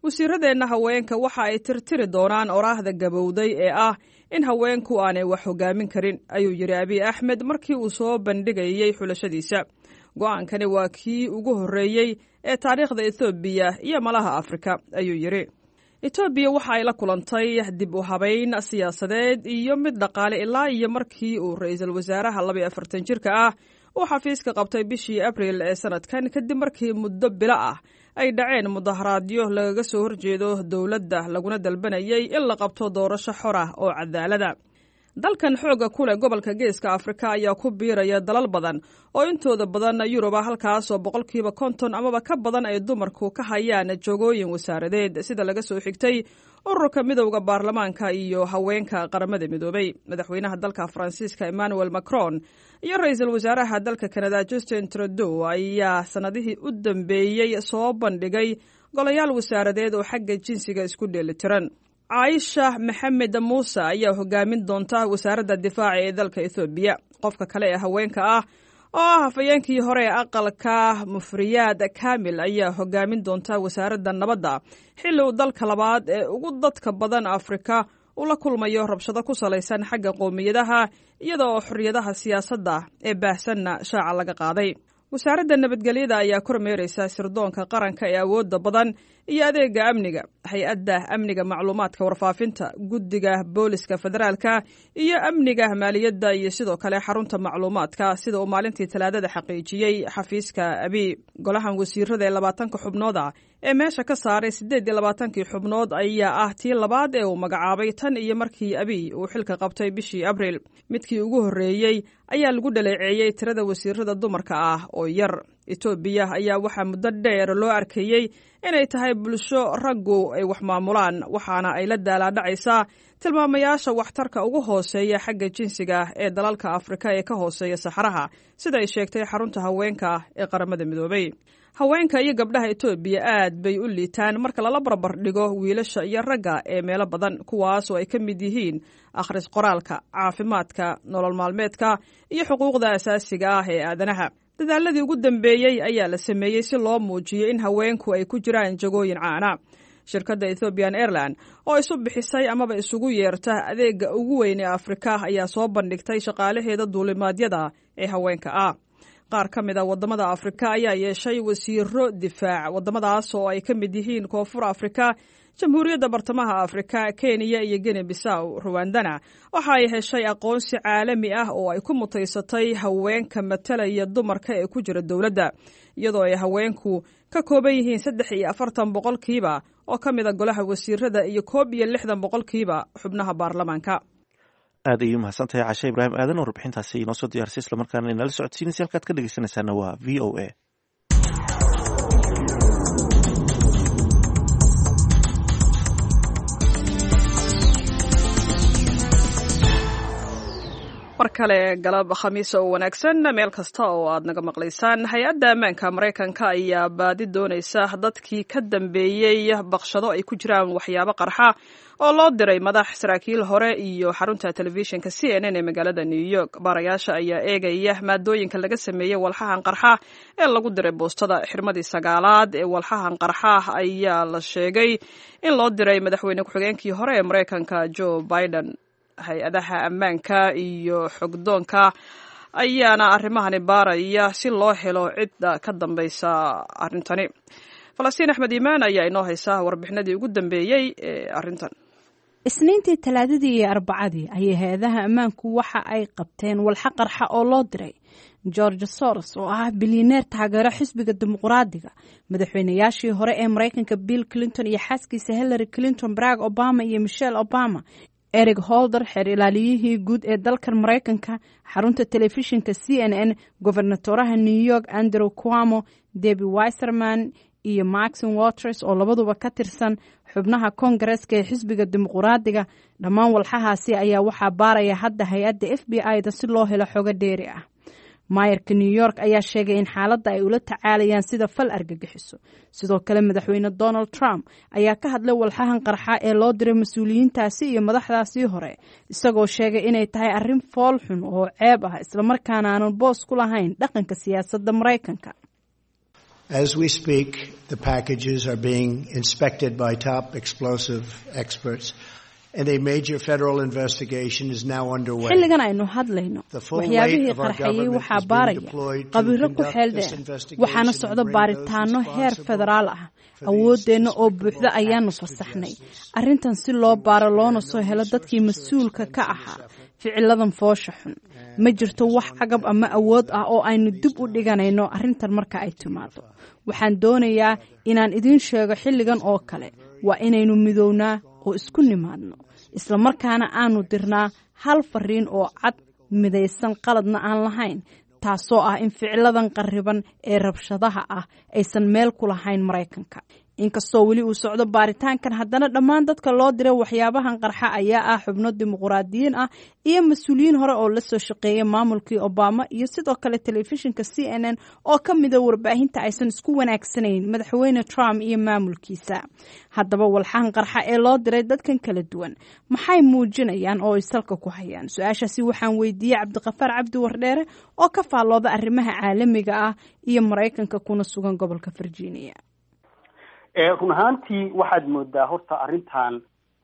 Wasiiradeenna haweenka waxa ay tirtiri doonaan oraahda gabowday ee ah in haweenku aanay wax hogaamin karin, ayuu yidhi Abiy Axmed markii uu soo bandhigayey xulashadiisa. Go-aankani waa kii ugu horreeyey ee taariikhda Etoobiya iyo malaha Afrika, ayuu yidhi. Etoobiya waxa ay la kulantay dib u habayn siyaasadeed iyo mid dhaqaale ilaa iyo markii uu ra-iisul wasaaraha laba iyo afartan jirka ah uu xafiiska qabtay bishii Abriil ee sanadkan, kadib markii muddo bilo ah ay dhaceen mudaharaadyo lagaga soo horjeedo dowladda, laguna dalbanayay in la qabto doorasho xor ah oo cadaalada. Dalkan xoogga ku leh gobolka Geeska Afrika ayaa ku biiraya dalal badan oo intooda badan Yuruba, halkaasoo boqolkiiba konton amaba ka badan ay dumarku ka hayaan joogooyin wasaaradeed, sida laga soo xigtay ururka midowda baarlamaanka iyo haweenka Qaramada Midoobay. Madaxweynaha dalka Faransiiska Emmanuel Macron iyo ra-iisul wasaaraha dalka Kanada Justin Trudeau ayaa sanadihii u dambeeyey soo bandhigay golayaal wasaaradeed oo xagga jinsiga isku dheelitiran. Caaisha Maxamed Muuse ayaa hogaamin doonta wasaaradda difaaca ee dalka Ethoobiya. Qofka kale ee haweenka ah oo ah hafayeenkii hore ee aqalka Mufriyaad Kamil ayaa hogaamin doonta wasaaradda nabadda, xilli uu dalka labaad ee ugu dadka badan Afrika uu la kulmayo rabshado ku salaysan xagga qowmiyadaha, iyada oo xorriyadaha siyaasadda ee baahsanna shaaca laga qaaday. Wasaaradda nabadgelyada ayaa kormeereysa sirdoonka qaranka ee awoodda badan iyo adeega amniga, hay-adda amniga macluumaadka warfaafinta, guddiga booliska federaalka iyo amniga maaliyadda, iyo sidoo kale xarunta macluumaadka, sida uu maalintii Talaadada xaqiijiyey xafiiska Abiy. Golahan wasiirada ee labaatanka xubnood ah ee meesha ka saaray siddeed iyo labaatankii xubnood ayaa ah tii labaad ee uu magacaabay tan iyo markii Abiy uu xilka qabtay bishii Abriil. Midkii ugu horreeyey ayaa lagu dhaleeceeyey tirada wasiirada dumarka ah oo yar. Etoobiya ayaa waxaa muddo dheer loo arkayey inay tahay bulsho raggu ay wax maamulaan, waxaana ay la daalaadhacaysaa tilmaamayaasha waxtarka ugu hooseeya xagga jinsiga ee dalalka Afrika ee ka hooseeya Saxaraha, sida ay sheegtay xarunta haweenka ee Qaramada Midoobay. Haweenka iyo gabdhaha Etoobiya aad bay u liitaan marka lala barbar dhigo wiilasha iyo ragga ee meelo badan, kuwaas oo ay ka mid yihiin akhris qoraalka, caafimaadka, nolol maalmeedka iyo xuquuqda asaasiga ah ee aadanaha. Dadaaladii ugu dambeeyey ayaa la sameeyey si loo muujiyo in haweenku ay ku jiraan jagooyin caana. Shirkadda Ethiopian Airline oo isu bixisay amaba isugu yeerta adeega ugu weyn ee Afrika ayaa soo bandhigtay shaqaalaheeda duulimaadyada ee haweenka ah. Qaar ka mid a waddamada Afrika ayaa yeeshay wasiiro difaac, waddamadaas oo ay ka mid yihiin Koonfur Afrika, Jamhuuriyadda Bartamaha Afrika, Kenya iyo Guinea Bisaw. Ruwandana waxa ay heshay aqoonsi caalami ah oo ay ku mutaysatay haweenka matalaya dumarka ee ku jira dowladda, iyadoo ay haweenku ka kooban yihiin saddex iyo afartan boqolkiiba oo ka mid a golaha wasiirada iyo koob iyo lixdan boqolkiiba xubnaha baarlamaanka. Aad ayay umahadsantahay Cashe Ibraahim Aadan oo warbixintaasi inoo soo diyaarisay islamarkaana inala socodsiinaysa. Halkaad ka dhegeysanaysaana waa V O A. Mar kale galab Khamiisa oo wanaagsan meel kasta oo aad naga maqlaysaan. Hay-adda ammaanka Maraykanka ayaa baadi doonaysa dadkii ka dambeeyey baqshado ay ku jiraan waxyaabo qarxa oo loo diray madax, saraakiil hore iyo xarunta telefishinka C N N ee magaalada New York. Baarayaasha ayaa eegaya maadooyinka laga sameeyey walxahan qarxa ee lagu diray boostada. Xirmadii sagaalaad ee walxahan qarxa ayaa la sheegay in loo diray madaxweyne ku-xigeenkii hore ee Maraykanka Joe Biden. Hay-adaha ammaanka iyo xogdoonka ayaana arrimahani baaraya si loo helo cidda ka dambaysa arrintani. Falastiin Axmed Iimaan ayaa inoo haysa warbixinadii ugu dambeeyey ee arrintan. Isniintii, Talaadadii iyo Arbacadii ayay hay-adaha ammaanku waxa ay qabteen walxa qarxa oo loo diray George Soros, oo ah bilyaneer taageero xisbiga Dimuqraadiga, madaxweynayaashii hore ee Mareykanka Bill Clinton iyo xaaskiisa Hillary Clinton, Barack Obama iyo Michelle Obama, Eric Holder, xeer ilaaliyihii guud ee dalkan Mareykanka, xarunta telefishinka C N N, gobernatoraha New York Andrew Cuomo, Debbie Wasserman iyo Maxine Waters, oo labaduba ka tirsan xubnaha Koongareeska ee xisbiga Dimuqraadiga. Dhammaan walxahaasi ayaa waxaa baaraya hadda hay-adda F B I da si loo helo xogo dheeri ah. Maayarka New York ayaa sheegay in xaaladda ay ula tacaalayaan sida fal argagixiso. Sidoo kale, Madaxweyne Donald Trump ayaa ka hadlay walxahan qarxa ee loo diray mas-uuliyiintaasi iyo madaxdaasii hore, isagoo sheegay inay tahay arrin fool xun oo ceeb ah, islamarkaana aanan boos ku lahayn dhaqanka siyaasadda Maraykanka. As we speak, the packages are being inspected by top explosive experts, and a major federal investigation is now underway. Xilligan aynu hadlayno, waxyaabihii qarxayay waxaa baaraya khabiiro ku xeel dheer, waxaana socda baaritaano heer federaal ah. Awooddeenna oo buuxda ayaanu fasaxnay arrintan si loo baaro loona soo helo dadkii mas-uulka ka ahaa ficiladan foosha xun. Ma jirto wax cagab ama awood ah oo aynu dib u dhiganayno arrintan marka ay timaado. Waxaan doonayaa inaan idiin sheego, xilligan oo kale waa inaynu midownaa oo isku nimaadno, islamarkaana aanu dirnaa hal fariin oo cad, midaysan, qaladna aan lahayn, taasoo ah in ficiladan qarriban ee rabshadaha ah aysan meel ku lahayn Maraykanka. Inkastoo weli uu socdo baaritaankan, haddana dhammaan dadka loo diray waxyaabahan qarxa ayaa ah xubno dimuqraadiyiin ah iyo mas-uuliyiin hore oo lasoo shaqeeyay maamulkii Obama, iyo sidoo kale telefishinka C N N oo ka mida warbaahinta aysan isku wanaagsanayn Madaxweyne Trump iyo maamulkiisa. Haddaba, walxahan qarxa ee loo diray dadkan kala duwan maxay muujinayaan oo ay salka ku hayaan? Su-aashaasi waxaan weydiiyey Cabdiqafaar Cabdi Wardheere oo ka faallooda arrimaha caalamiga ah iyo Maraykanka, kuna sugan gobolka Virginia. Run ahaantii, waxaad moodaa horta arrintan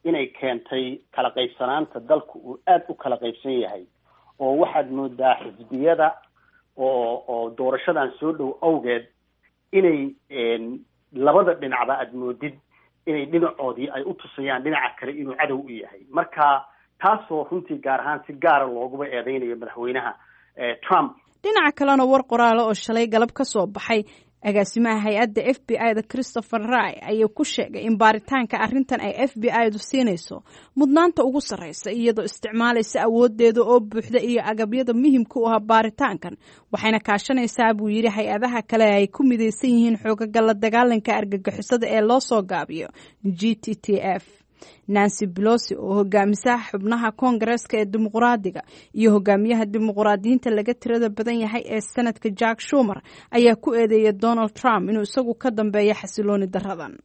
inay keentay kala qaybsanaanta dalku uu aada u kala qaybsan yahay, oo waxaad moodaa xisbiyada oo oo doorashadan soo dhow awgeed inay labada dhinacba aad moodid inay dhinacoodii ay u tusayaan dhinaca kale inuu cadow u yahay. Marka taasoo runtii gaar ahaan si gaara looguba eedeynayo Madaxweynaha Trump. Dhinaca kalena, war qoraala oo shalay galab ka soo baxay agaasimaha hay-adda F B I da Christopher Wray ayaa ku sheegay in baaritaanka arrintan ay F B I du siinayso mudnaanta ugu sarreysa, iyadoo isticmaalaysa awoodeeda oo buuxda iyo agabyada muhimka u ah baaritaankan. Waxayna kaashanaysaa, buu yidhi, hay-adaha kale ay ku midaysan yihiin xoogaga la dagaalanka argagixisada ee loo soo gaabiyo G T T F. Nancy Pelosi, oo hogaamisa xubnaha Koongareeska ee Dimuqraadiga, iyo hogaamiyaha Dimuqraadiyiinta laga tirada badan yahay ee Sanadka Chuck Schumer ayaa ku eedeeyay Donald Trump inuu isagu ka dambeeyo xasilooni daradan.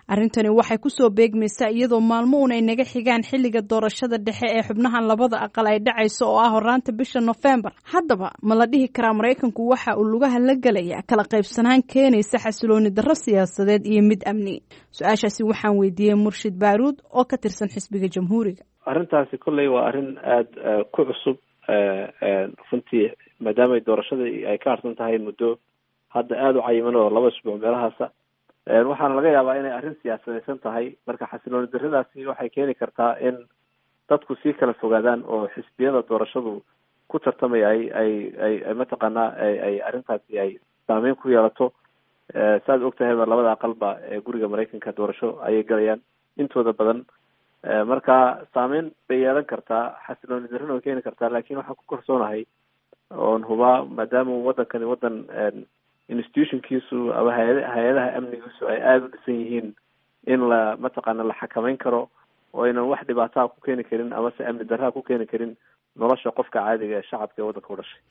Arrintani waxay kusoo beegmaysaa iyadoo maalmo uun ay naga xigaan xilliga doorashada dhexe ee xubnahan labada aqal ay dhacayso, oo ah horaanta bisha Nofembar. Haddaba, ma la dhihi karaa Maraykanku waxa uu lugaha la gelaya kala qaybsanaan keenaysa xasilooni darro siyaasadeed iyo mid amni? Su-aashaasi waxaan weydiiyey Murshid Baaruud oo ka tirsan xisbiga Jamhuuriga. Arrintaasi kolley waa arrin aada ku cusub runtii, maadaama doorashada ay ka harsan tahay muddo hadda aada u cayiman oo laba isbuuc meelahaasa. Waxaana laga yaabaa inay arrin siyaasadaysan tahay. Marka xasilooni darradaasi waxay keeni kartaa in dadku sii kala fogaadaan oo xisbiyada doorashadu ku tartamaya ay ay ay ay mataqaanaa ay ay arrintaasi ay saameyn ku yeelato. Saad og tahayba, labada aqalba ee guriga Maraykanka doorasho ayay galayaan intooda badan. Marka saameyn bay yeelan kartaa, xasilooni darrina way keeni kartaa, laakiin waxaan ku kalsoonahay oon hubaa, maadaama waddankani waddan institutionkiisu ama hay- hay-adaha amnigiisu ay aada u dhisan yihiin, in la mataqaana la xakameyn karo oo aynan wax dhibaataa ku keeni karin amase amni darraa ku keeni karin nolosha qofka caadiga ee shacabka ee waddanka u dhashay.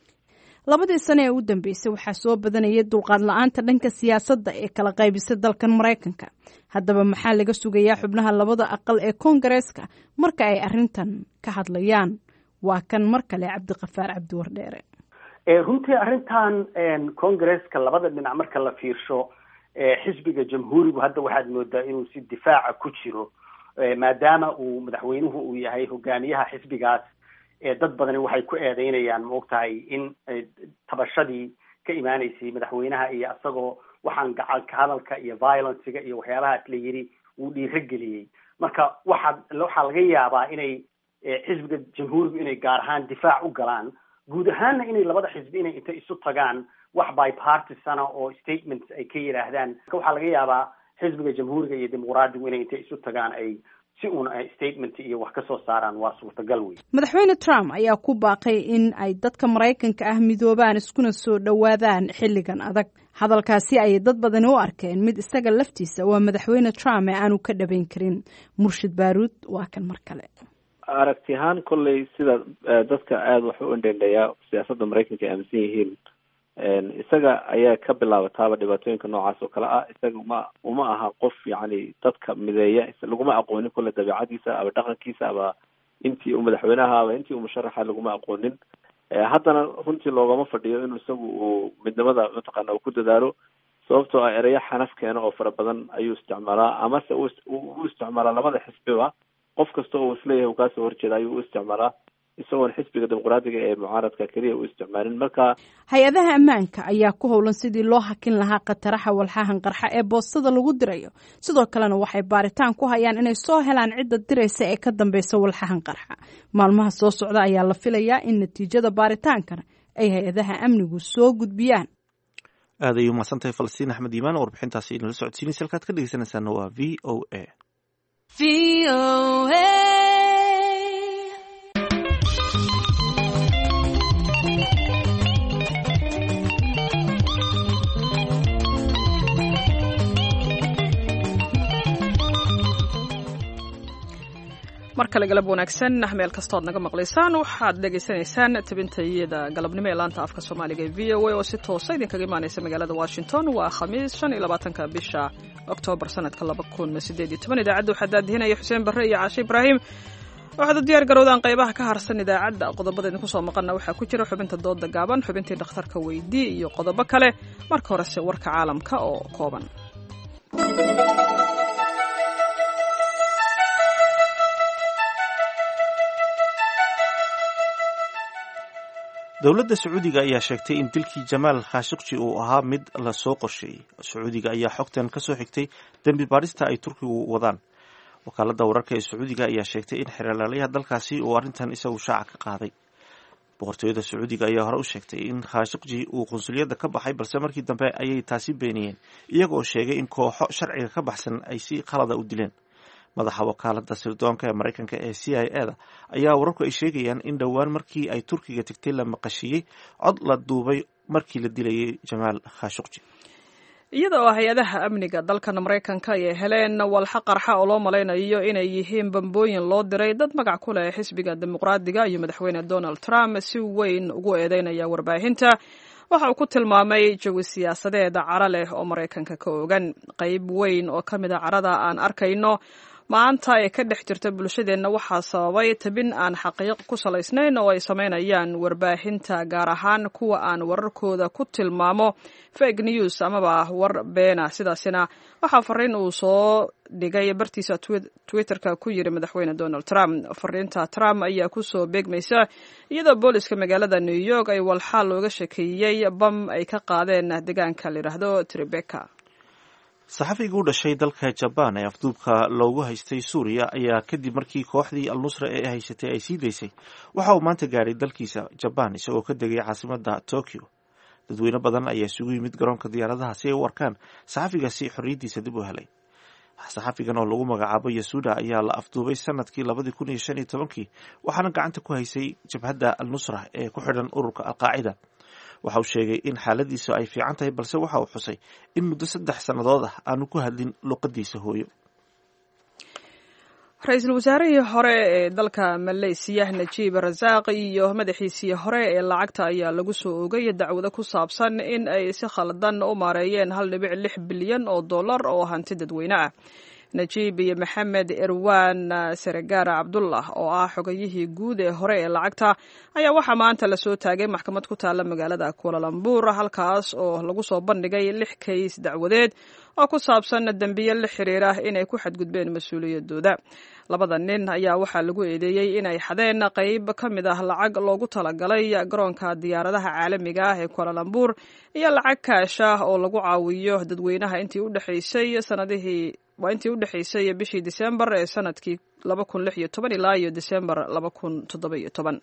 Labadii sane ee u dambeysay waxaa soo badanayay dulqaad la-aanta dhanka siyaasadda ee kala qaybisa dalkan Maraykanka. Haddaba, maxaa laga sugayaa xubnaha labada aqal ee Koongareeska marka ay arrintan ka hadlayaan? Waa kan mar kale Cabdiqafaar Cabdiwardheere. Runtii, arrintan Congresska labada dhinac marka la fiirsho, xisbiga Jamhuurigu hadda waxaad moodaa inuu si difaaca ku jiro, maadaama uu madaxweynuhu uu yahay hogaamiyaha xisbigaas. Dad badani waxay ku eedeynayaan, maogtahay, in tabashadii ka imaanaysay madaxweynaha iyo isagoo waxaan gacanka hadalka iyo violencega iyo waxyaabahaas la yiri wuu dhiirageliyey. Marka waxaa waxaa laga yaabaa inay xisbiga jamhuurigu inay gaar ahaan difaac u galaan, guud ahaanna inay labada xisbi inay inta isu tagaan wax bipartisana oo statements ay ka yidhaahdaan. Waxaa laga yaabaa xisbiga jamhuuriga iyo dimuqraadigu inay intay isu tagaan ay si uun statement iyo wax ka soo saaraan, waa suurtagal wey. Madaxweyne Trump ayaa ku baaqay in ay dadka Maraykanka ah midoobaan iskuna soo dhowaadaan xilligan adag. Hadalkaasi ayay dad badani u arkeen mid isaga laftiisa waa madaxweyne Trump ee aanu ka dhabayn karin. Murshid Baaruud waa kan mar kale. Aragti ahaan kolley sida dadka aada wax u indhendheeyaa siyaasadda Maraykanka ay aaminsan yihiin, isaga ayaa ka bilaabataaba dhibaatooyinka noocaas oo kale ah. Isaga uma uma aha qof yacni dadka mideeya, laguma aqoonin kolle dabeicadiisa ama dhaqankiisa ama intii uu madaxweynaha ama intii uu musharaxa laguma aqoonin. Haddana runtii loogama fadhiyo inuu isagu uu midnimada mataqaana uu ku dadaalo, sababtoo ah ereyo xanaf keena oo fara badan ayuu isticmaalaa, amase u u isticmaalaa labada xisbiba. Qof kasta oo isleeyahay uu kaasoo horjeeda ayuu u isticmaalaa, isagoon xisbiga dimuqraadiga ee mucaaradka keliya u isticmaalin. Marka hay-adaha ammaanka ayaa ku howlan sidii loo hakin lahaa khataraha walxahan qarxa ee boostada lagu dirayo. Sidoo kalena waxay baaritaan ku hayaan inay soo helaan cidda diraysa ee ka dambeysa walxahan qarxa. Maalmaha soo socda ayaa la filayaa in natiijada baaritaankana ay hay-adaha amnigu soo gudbiyaan. Aad ayay umahadsantahay Falastiin Axmed Iimaan oo warbixintaasi inala socodsiinaysa. Halkaad ka dhegeysanaysaana waa V O A. Mar kale galab wanaagsan meel kastood naga maqlaysaan. Waxaad dhegaysanaysaan tabintayada galabnimo ee laanta afka Soomaaliga ee V O A oo si toosa idinkaga imaanaysa magaalada Washington. Waa Khamiis, shan iyo labaatanka bisha Oktoobar, sanadka laba kun sideed iyo toban. Idaacadda waxaa daadihinaya Xuseen Barre iyo Caashe Ibraahim. Waxaad u diyaar garowdaan qaybaha ka harsan idaacadda. Qodobada idinku soo maqanna waxaa ku jira xubinta dooda gaaban, xubintii dhakhtarka weydii iyo qodobo kale. Marka horese warka caalamka oo kooban. Dowladda Sacuudiga ayaa sheegtay in dilkii Jamaal Khashiqji uu ahaa mid lasoo qorsheeyey. Sacuudiga ayaa xogtan ka soo xigtay dembi baadhista ay Turkigu wadaan. Wakaaladda wararka ee Sacuudiga ayaa sheegtay in xeeralaalayaha dalkaasi uu arrintan isagu shaaca ka qaaday. Boqortooyada Sacuudiga ayaa hore u sheegtay in Khashiqji uu qunsuliyadda ka baxay, balse markii dambe ayay taasi beeniyeen, iyagoo sheegay in kooxo sharciga ka baxsan ay si khalada u dileen. Madaxa wakaaladda sirdoonka ee Maraykanka ee C I A da ayaa wararku ay sheegayaan in dhowaan markii ay Turkiga tagtay la maqashiiyey cod la duubay markii la dilayay Jamaal Khashuqji. Iyada oo hay-adaha amniga dalkan Maraykanka ay heleen walxa qarxa oo loo malaynayo inay yihiin bambooyin loo diray dad magac ku leh xisbiga dimuqraadiga iyo madaxweyne Donald Trump si weyn ugu eedeynaya warbaahinta, waxa uu ku tilmaamay jawi siyaasadeed caro leh oo Maraykanka ka ogan. Qayb weyn oo ka mid a carada aan arkayno maanta ee ka dhex jirta bulshadeenna waxaa sababay tabin aan xaqiiq ku salaysnayn oo ay samaynayaan warbaahinta, gaar ahaan kuwa aan wararkooda ku tilmaamo fake news amaba war beena. Sidaasina waxaa fariin uu soo dhigay bartiisa Twitterka ku yiri madaxweyne Donald Trump. Fariinta Trump ayaa kusoo beegmaysa iyadoo booliska magaalada New York ay walxaal looga shekeeyey bam ay ka qaadeen deegaanka la yidhaahdo Tribeca. Saxafiga u dhashay dalka Jabaan ee afduubka loogu haystay Suuriya ayaa kadib markii kooxdii al-Nusra ee haysatay ay sii daysay waxa uu maanta gaadhay dalkiisa Jabaan, isagoo ka degay caasimadda Tokyo. Dadweyne badan ayaa isugu yimid garoonka diyaaradaha si ay u arkaan saxafigaasi xorriyaddiisa dib u helay. Saxafigan oo lagu magacaabo Yasuda ayaa la afduubay sanadkii labadii kun iyo shan iyo tobankii, waxaana gacanta ku haysay jabhadda al-Nusra ee ku xidhan ururka Al-Qaacida. Waxa uu sheegay in xaaladiisu ay fiican tahay, balse waxa uu xusay in muddo saddex sannadood ah aanu ku hadlin luqadiisa hooyo. Ra-iisul wasaarihii hore ee dalka Maleysiya Najiib Rasaaq iyo madaxiisii hore ee lacagta ayaa lagu soo oogay dacwado ku saabsan in ay si khaldan u maareeyeen hal dhibic lix bilyan oo dollar oo hanti dadweyne ah. Najiib iyo Maxamed Erwan Seregaara Cabdullah oo ah xogayihii guud ee hore ee lacagta ayaa waxaa maanta lasoo taagay maxkamad ku taalla magaalada Kualalambur, halkaas oo lagu soo bandhigay lix kays dacwadeed oo ku saabsan dembiye la xiriira inay ku xadgudbeen mas-uuliyadooda. Labada nin ayaa waxaa lagu eedeeyey inay xadeen qayb ka mid ah lacag loogu talagalay garoonka diyaaradaha caalamiga ah ee Kualalambur iyo lacag kaash ah oo lagu caawiyo dadweynaha intii u dhexaysay sanadihii waa intii u dhexaysay bishii Disembar ee sanadkii laba kun lix iyo toban ilaa iyo Disembar laba kun toddoba iyo toban.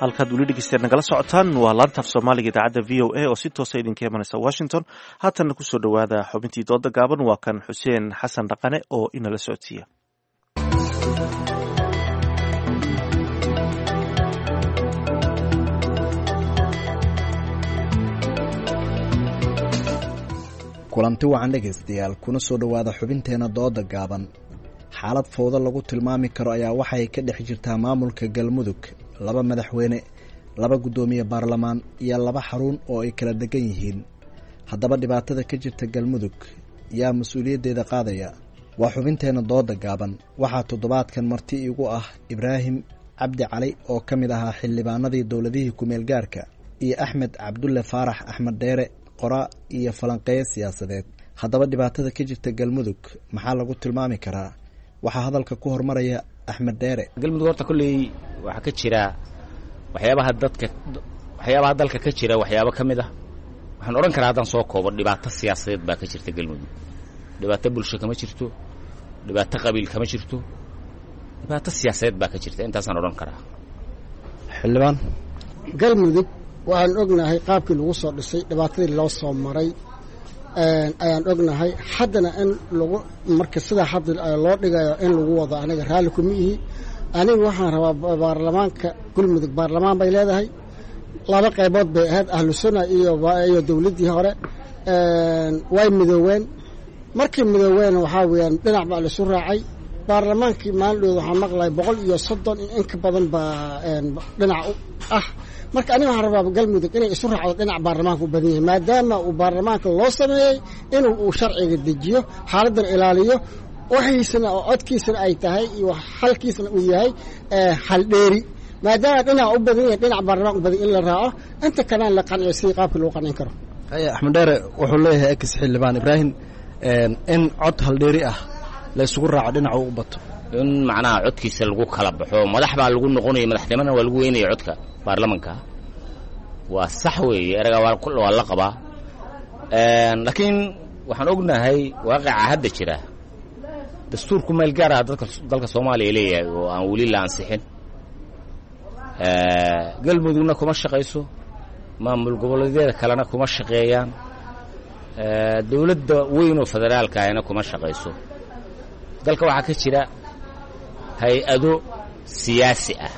Halkaad weli dhegeysteed nagala socotaan waa laantaaf Soomaaliga idaacadda V O A oo si toosa idinka imanaysa Washington. Haatanna kusoo dhowaada xubintii dooda gaaban, waa kan Xuseen Xasan Dhaqane oo inala socodsiiya. Kulanti wacan dhegaystayaal, kuna soo dhowaada xubinteena dooda gaaban. Xaalad fowdo lagu tilmaami karo ayaa waxay ka dhex jirtaa maamulka Galmudug. Laba madaxweyne, laba guddoomiye baarlamaan iyo laba xarun oo ay kala degan yihiin. Haddaba dhibaatada ka jirta Galmudug yaa mas-uuliyaddeeda qaadaya? Waa xubinteena dooda gaaban. Waxaa toddobaadkan marti iigu ah Ibraahim Cabdi Cali oo ka mid ahaa xildhibaanadii dowladihii kumeel gaarka iyo Axmed Cabdulle Faarax Axmed Dheere, qoraa iyo falanqeeye siyaasadeed. Haddaba dhibaatada ka jirta Galmudug maxaa lagu tilmaami karaa? Waxaa hadalka ku hormaraya Axmed Dheere. Galmudug horta kolley waxaa ka jira waxyaabaha dadka, waxyaabaha dalka ka jira waxyaabo ka mid ah. Waxaan odhan karaa haddaan soo koobo, dhibaato siyaasadeed baa ka jirta Galmudug. Dhibaato bulsho kama jirto, dhibaato qabiil kama jirto, dhibaato siyaasadeed baa ka jirta, intaasaan odhan karaa. Xildhibaan, Galmudug waxaan ognahay qaabkii lagu soo dhisay, dhibaatadii loo soo maray ayaan ognahay. Haddana in lagu marka sidaa hadda loo dhigayo in lagu wado aniga raalli kuma ihi. Aniga waxaan rabaa baarlamaanka Galmudug, baarlamaan bay leedahay, laba qaybood bay ahayd, ahlu sunna iyo iyo dowladdii hore way midooween. Markii midooween waxaa weeyaan dhinac baa laisu raacay. Baarlamaankii maalindhood waxaan maqlay boqol iyo soddon in in ka badan baa dhinac ah. Marka aniga waxaan rabaa Galmudug inay isu raacdo dhinac baarlamaanka u badan yahay, maadaama uu baarlamaanka loo sameeyey inuu uu sharciga dejiyo, xaaladdan ilaaliyo, waxiisana oo codkiisana ay tahay iyo xalkiisana uu yahay xaldheeri. Maadaama dhinac u badan yahay, dhinac baarlamaanka u badan in la raaco, inta kalena la qanciyo sidii qaabkii lagu qancin karo. Haya, Axmed Dheere wuxuu leeyahay ex xildhibaan Ibraahim in cod haldheeri ah la isugu raaco dhinaca uu u bato, in macnaha codkiisa lagu kala baxo, madax baa lagu noqonaya, madaxnimana waa lagu weynaya codka baarlamanka. Waa sax weeye, eraga waa la qabaa, laakiin waxaan ognahay waaqica hadda jira. Dastuurku meel gaar ah dadka dalka Soomaaliya leeyahay oo aan weli la ansixin. Galmudugna kuma shaqayso, maamul goboleedyada kalena kuma shaqeeyaan, dowladda weyn oo federaalka ahna kuma shaqayso. Dalka waxaa ka jira hay-ado siyaasi ah,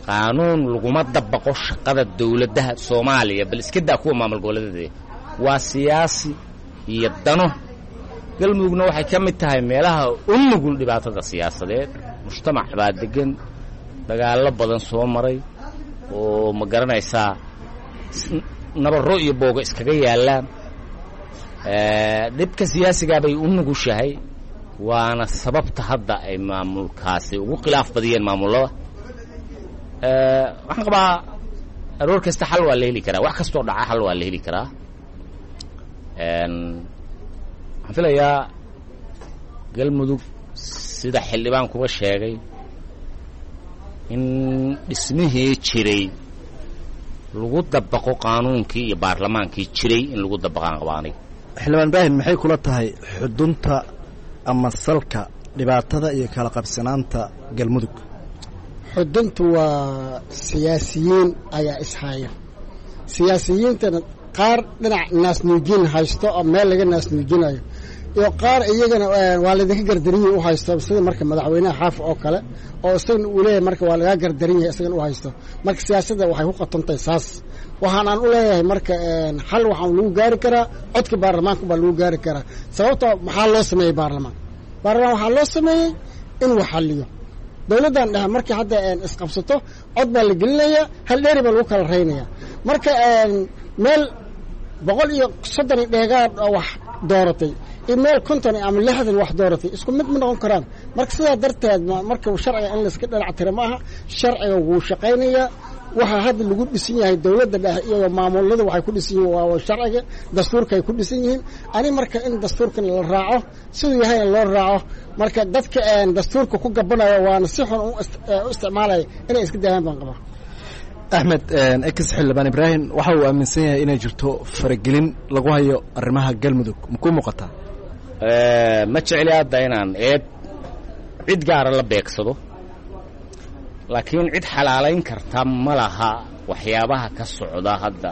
qaanuun laguma dabaqo shaqada dowladdaha Soomaaliya, bal iska daa kuwa maamul goboleedyada, waa siyaasi iyo dano. Galmudugna waxay ka mid tahay meelaha u nugul dhibaatada siyaasadeed. Mujtamac baa degan, dagaallo badan soo maray oo ma garanaysaa, nabarro iyo booga iskaga yaallaan. Dhibka siyaasigaa bay u nugushahay, waana sababta hadda ay maamulkaasi ugu khilaaf badiyeen maamullada. Waxaan qabaa aroor kasta xal waa la heli karaa, wax kastoo dhaca xal waa la heli karaa. Waxaan filayaa Galmudug sida xildhibaankuba sheegay in dhismihii jiray lagu dabaqo qaanuunkii iyo baarlamaankii jiray in lagu dabaqaan qabaanay. Xildhibaan Ibraahim, maxay kula tahay xudunta ama salka dhibaatada iyo kala qabsanaanta Galmudug? Xuduntu waa siyaasiyiin ayaa ishaya. Siyaasiyiintana qaar dhinac naasnuujin haysto oo meel laga naasnuujinayo, iyo qaar iyagana waa laydinka gardaran yahay u haysto, sida marka madaxweynaha Xaafi oo kale oo isagana uu leeyahay marka waa lagaa gardaran yahay isagana u haysto. Marka siyaasadda waxay ku qatantahay saas. Waxaan aan u leeyahay marka xal waxaan lagu gaari karaa codka baarlamaanka baa lagu gaari karaa. Sababtoo maxaa loo sameeyey baarlamaan? Baarlamaan waxaa loo sameeyey inuu xalliyo. Dowladdan dhexe markii hadda isqabsato cod baa la gelinayaa, hal dheeri baa lagu kala raynaya. Marka meel boqol iyo soddon dheegaad oo wax dooratay iyo meel konton ama lixdan wax dooratay isku mid ma noqon karaan. Marka sidaa darteed marka sharciga in layska dhinac tira ma aha. Sharciga wuu shaqaynayaa. Waxaa hadda lagu dhisan yahay dowladda dhexe iyo maamulada waxay ku dhisan yihiin waa sharciga dastuurka ay ku dhisan yihiin. Ani marka in dastuurkan la raaco siduu yahayna loo raaco. Marka dadka dastuurka ku gabanaya waana si xun u isticmaalaya inay iska daayaan baan qabaa. Axmed ex xildhibaan Ibraahim waxa uu aaminsan yahay inay jirto faragelin lagu hayo arrimaha Galmudug, makuu muuqataa? Ma jecli hadda inaan eed cid gaara la beegsado, laakiin cid xalaalayn karta ma laha waxyaabaha ka socda hadda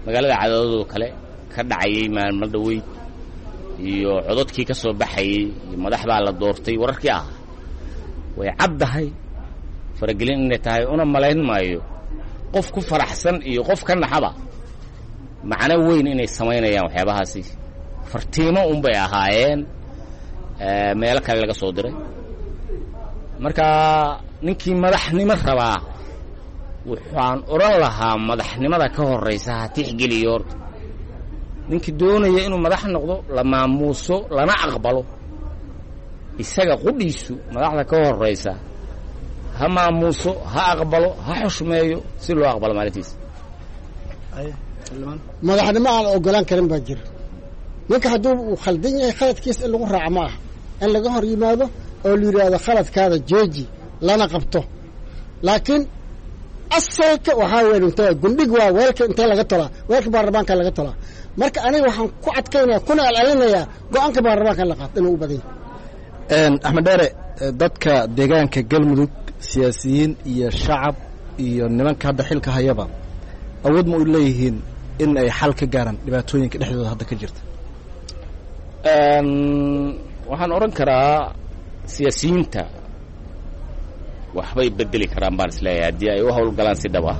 magaalada Cadaadadoo kale ka dhacayay maalmo dhoweyd iyo cododkii ka soo baxayey iyo madax baa la doortay wararkii ah. Way caddahay faragelin inay tahay, una malayn maayo qof ku faraxsan iyo qof ka naxaba macno weyn inay samaynayaan waxyaabahaasi. Fartiimo unbay ahaayeen meelo kale laga soo diray. Marka ninkii madaxnimo rabaa waxaan odhan lahaa madaxnimada ka horraysa ha tixgeliyo horta. Ninkii doonaya inuu madax noqdo la maamuuso lana aqbalo, isaga qudhiisu madaxda ka horraysa ha maamuuso, ha aqbalo, ha xushmeeyo si loo aqbalo maalintiisa. Madaxnimo aan ogolaan karin baa jira. Ninka hadduu uu khaldan yahay khaladkiisa in lagu raaco ma aha, in laga hor yimaado oo la yidhaahdo khaladkaada jeeji lana qabto. Laakiin asalka waxaa weyn intee gundhig waa weelka intee laga tolaa, weelka baarlamaanka laga tolaa. Marka aniga waxaan ku adkaynaya kuna celcelinayaa go-aanka baarlamaanka la qaato inuu u badan yahay. Axmed Dheere, dadka deegaanka Galmudug siyaasiyiin iyo shacab iyo nimanka hadda xilka hayaba awood ma u leeyihiin in ay xal ka gaaraan dhibaatooyinka dhexdooda hadda ka jirta? Waxaan odhan karaa siyaasiyiinta waxbay bedeli karaan baan isleeyahay haddii ay u howlgalaan si dhab ah.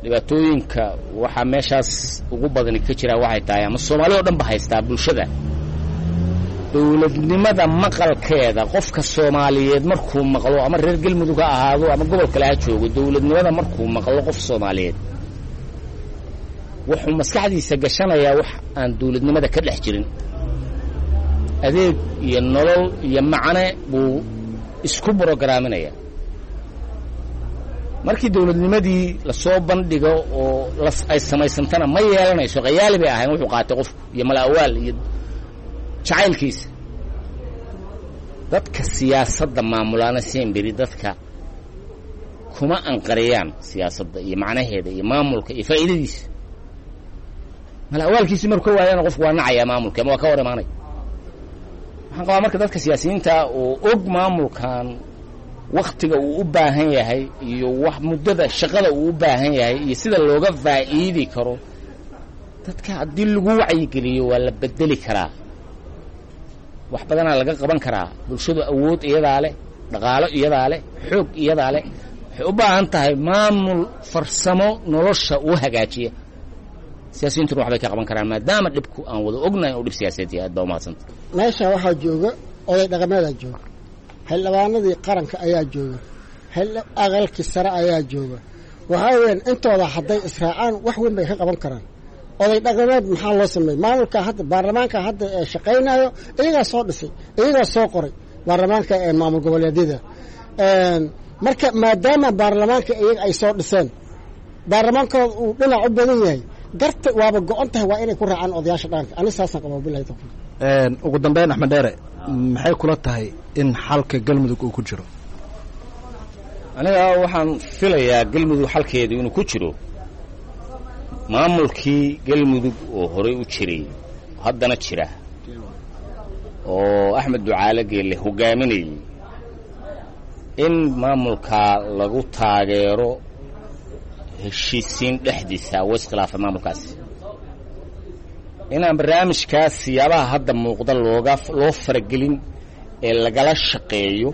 Dhibaatooyinka waxaa meeshaas ugu badani ka jiraa waxay tahay ama Soomaali oo dhan ba haystaa bulshada dowladnimada maqalkeeda. Qofka Soomaaliyeed markuu maqlo ama reer Galmudug ha ahaado ama gobol kale ha joogo, dowladnimada markuu maqlo qof Soomaaliyeed wuxuu maskaxdiisa gashanayaa wax aan dowladnimada ka dhex jirin. Adeeg iyo nolol iyo macne buu isku brograaminayaa. Markii dowladnimadii lasoo bandhigo oo ay samaysantana ma yeelanayso, khayaali bay ahayn wuxuu qaatay qofku iyo malaawaal iyo jacaylkiisa. Dadka siyaasadda maamulaana semberi dadka kuma anqariyaan siyaasadda iyo macnaheeda iyo maamulka iyo faa'iidadiisa. Malaawaalkiisi markuu ka waayana qofku waa nacayaa maamulka ama waa ka hor imaanaya. Waxaan qabaa marka dadka siyaasiyiinta oo og maamulkan waktiga uu u baahan yahay iyo wax muddada shaqada uu u baahan yahay iyo sida looga faa'iidi karo, dadka haddii lagu wacyigeliyo waa la bedeli karaa, wax badanaa laga qaban karaa. Bulshadu awood iyadaa leh, dhaqaalo iyadaa leh, xoog iyadaa leh. Waxay u baahan tahay maamul farsamo nolosha uu hagaajiya. Siyaasiyiintuna waxbay ka qaban karaan maadaama dhibku aan wada ognahay inuu dhib siyaasadeed yahay. Aad baa umahadsanta. Meesha waxaa jooga oday dhaqameedaa jooga, xildhibaanadii qaranka ayaa jooga, aqalkii sare ayaa jooga. Waxaa weyaan intooda hadday israacaan wax weyn bay ka qaban karaan. Oday dhaqameed maxaa loo sameeyey? Maamulka hadda baarlamaanka hadda ee shaqaynayo iyagaa soo dhisay, iyagaa soo qoray baarlamaanka ee maamul goboleedyada. Marka maadaama baarlamaanka iyaga ay soo dhiseen, baarlamaankooda uu dhinac u badan yahay, garta waaba go-on tahay waa inay ku raacaan odayaasha dhaqanka. Ani saasaan qabaa, bilahi tawfiiq. Ugu dambeyn Axmed Dheere, maxay kula tahay in xalka Galmudug uu ku jiro? Aniga waxaan filayaa Galmudug xalkeedu inuu ku jiro maamulkii Galmudug oo horey u jiray haddana jira oo Axmed Ducaale Geelle hogaaminayay, in maamulkaa lagu taageero heshiisiin dhexdiisa wa iskhilaafay maamulkaasi, inaan barnaamijkaas siyaabaha hadda muuqda looga loo faragelin ee lagala shaqeeyo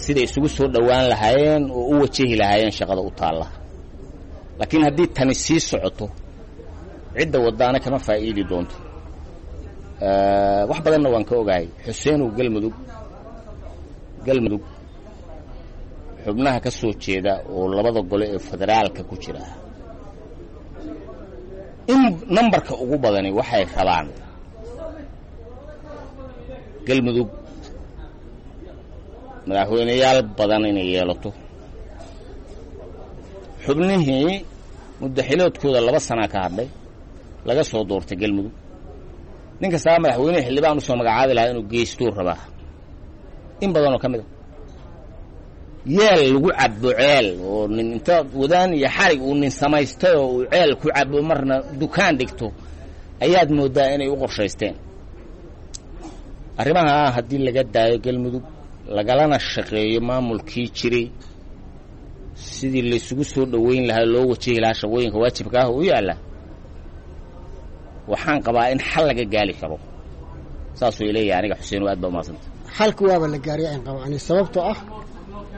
siday isugu soo dhowaan lahaayeen oo u wajahi lahaayeen shaqada u taalla. Laakiin haddii tani sii socoto, Cidda wadaana kama faa'iidi doonto. Wax badanna waan ka ogahay Xuseenow. Galmudug, Galmudug xubnaha ka soo jeeda oo labada gole ee federaalka ku jira, in nambarka ugu badani waxay rabaan Galmudug madaxweyneyaal badan inay yeelato. Xubnihii muddaxiloodkooda laba sanaa ka hadhay laga soo doortay Galmudug, nin kastaa madaxweynehi xildhibaan usoo magacaabi lahaa inuu geystuu rabaa. In badanoo ka mid a yeel lagu cabbo ceel oo nin inta wadaan iyo xarig uu nin samaystay oo uu ceel ku cabbo, marna dukaan dhigto, ayaad mooddaa inay u qorshaysteen arrimaha. Haddii laga daayo Galmudug, lagalana shaqeeyo maamulkii jiray sidii laysugu soo dhoweyn lahaa, loo wajahi lahaa shaqooyinka waajibka ah oo u yaalla, waxaan qabaa in xal laga gaali karo. Saasuu ileeyahay aniga Xuseen, aad baa umahadsanta. Xalka waaba la gaaray aan qabo ani, sababtoo ah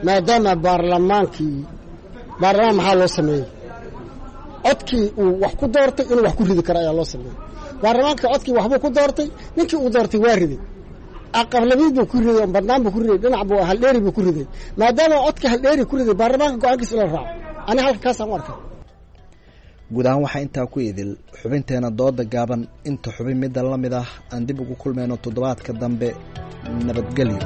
maadaama baarlamaankii, baarlamaan maxaa loo sameeyey? Codkii uu wax ku doortay inuu wax ku ridi karo ayaa loo sameeyey. Baarlamaanka codkii waxbuu ku doortay, ninkii uu doortay waa riday, aqablabiid buu ku riday, badnaan buu ku riday, dhinac buu haldheeri buu ku riday. Maadaama codka haldheeri ku riday, baarlamaanka go-aankiisa in la raaco, ani halka kaasaan u arkay. Guud ahaan waxaa intaa ku idil xubinteena dooda gaaban. Inta xubin midda la mid ah aan dib ugu kulmayno toddobaadka dambe, nabadgelyo.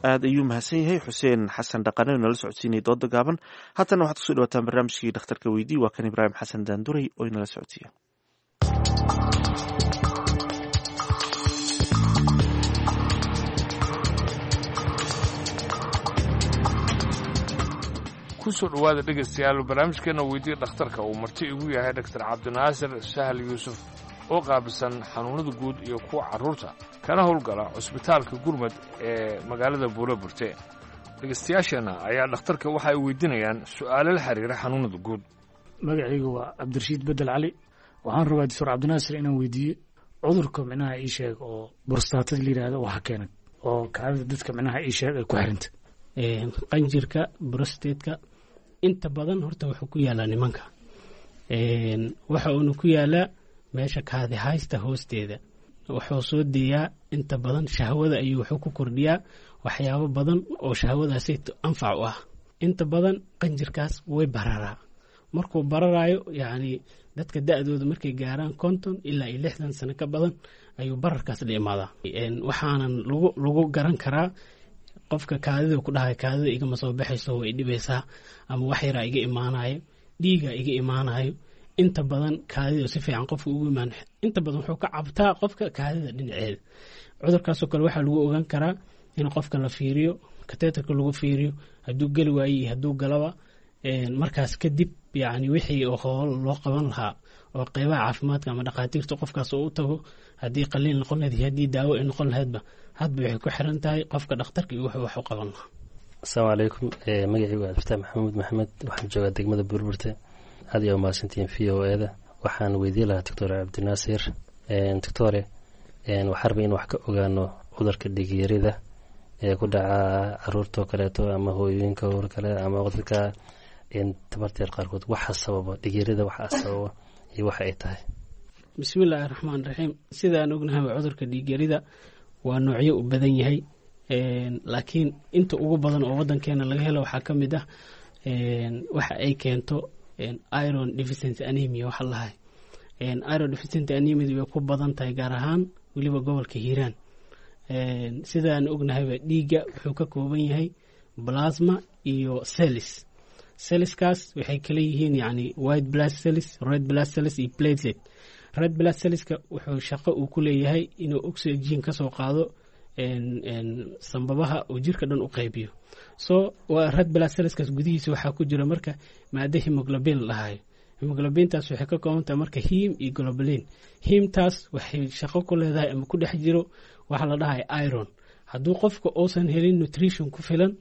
Aad ayuu mahadsan yahay Xuseen Xasan Dhaqane oo nala socodsiinaya dooda gaaban. Haatana waxaad kusoo dhawaataan barnaamijkii Dhakhtarka Weydii. Waa kan Ibraahim Xasan Daanduray oo inala socodsiiya. Kusoo dhowaada dhegaystayaal barnaamijkeena Weydiya Dhakhtarka, uu marti igu yahay Dhaktar Cabdinaasir Sahal Yuusuf oo qaabilsan xanuunnada guud iyo kuwa carruurta, kana howlgala cusbitaalka Gurmad ee magaalada Buulo Burte. Dhegaystayaasheenna ayaa dhakhtarka waxa ay weydiinayaan su'aalo la xiriira xanuunnada guud. Magacaygu waa Cabdirashiid Bedel Cali. Waxaan rabaa Doctor Cabdinaasir inaan weydiiyo cudurka micnaha ii sheeg oo borstaatada la yidhaahdo, waxa keenay oo kaadida dadka micnaha ii sheeg ay ku xiranta. Qanjirka brostateka inta badan horta wuxuu ku yaalaa nimanka, waxa uuna ku yaalaa meesha kaadi haysta hoosteeda. Wuxuu soo deeyaa inta badan shahwada ayuu wuxuu ku kordhiyaa waxyaabo badan oo shahwadaasi anfac u ah. Inta badan qanjirkaas way bararaa. Markuu bararayo, yacni dadka da-dooda markay gaaraan konton ilaa iyo lixdan sano ka badan ayuu bararkaas la imaadaa. Waxaanan lagu lagu garan karaa qofka kaadida ku dhahay kaadida igama soo baxayso, way dhibaysaa, ama wax yaraa iga imaanayo, dhiiga iga imaanayo. Inta badan kaadida si fiican qofka ugu imaan, inta badan wuxuu ka cabtaa qofka kaadida dhinaceeda. Cudurkaasoo kale waxaa lagu ogaan karaa in qofka la fiiriyo, kateetarka lagu fiiriyo, hadduu geli waayo iyo hadduu galaba. Markaas kadib yacni wixii howl loo qaban lahaa oo qeybaha caafimaadka ama dhakhaatiirta qofkaas oo u tago, haddii qaliin noqon lahayd iyo haddii daawo ay noqon lahaydba, hadba waxay ku xiran tahay qofka dhakhtarka iyo wuxuu wax u qaban lahaa. Asalaamu calaykum, magacaygu waa Cabdifataax Maxamuud Maxamed, waxaan joogaa degmada Burburte. Aad ayaa umahadsantihiin V O E da. Waxaan weydiin lahaa Doctor Cabdinaasir. Doctore, waxaan rabay in wax ka ogaano cudurka dhigyarida ee ku dhaca caruurtoo kaleeto ama hooyooyinka hor kale ama dadka tabarteer qaarkood. Waxa sababa dhigyarida, waxa sababa iyo waxa ay tahay? Bismillaahi raxmaan raxiim. Sidaan ognahaba, cudurka dhiigyarida waa noocyo u badan yahay, laakiin inta ugu badan oo wadankeena laga helo waxaa ka mid ah waxa ay keento iron deficiency anemia. Waxa lahay iron deficiency anemia way ku badan tahay, gaar ahaan weliba gobolka Hiiraan. Sidaan ognahayba, dhiigga wuxuu ka kooban yahay plasma iyo cells. Cellskaas waxay kala yihiin yani white blood cells, red blood cells iyo platelet. Red blood cellska wuxuu shaqo uu ku leeyahay inuu oxygen ka soo qaado sambabaha uu jirka dhan u qaybiyo. So red blood cellskaas gudihiisa waxaa ku jira marka maado hemoglobin la dhahayo. Hemoglobintaas waxay ka kooban tahay marka heme iyo globulin. Hemetaas waxay shaqo ku leedahay ama ku dhex jiro waxa la dhahayo iron. Hadduu qofka uusan helin nutrition ku filan,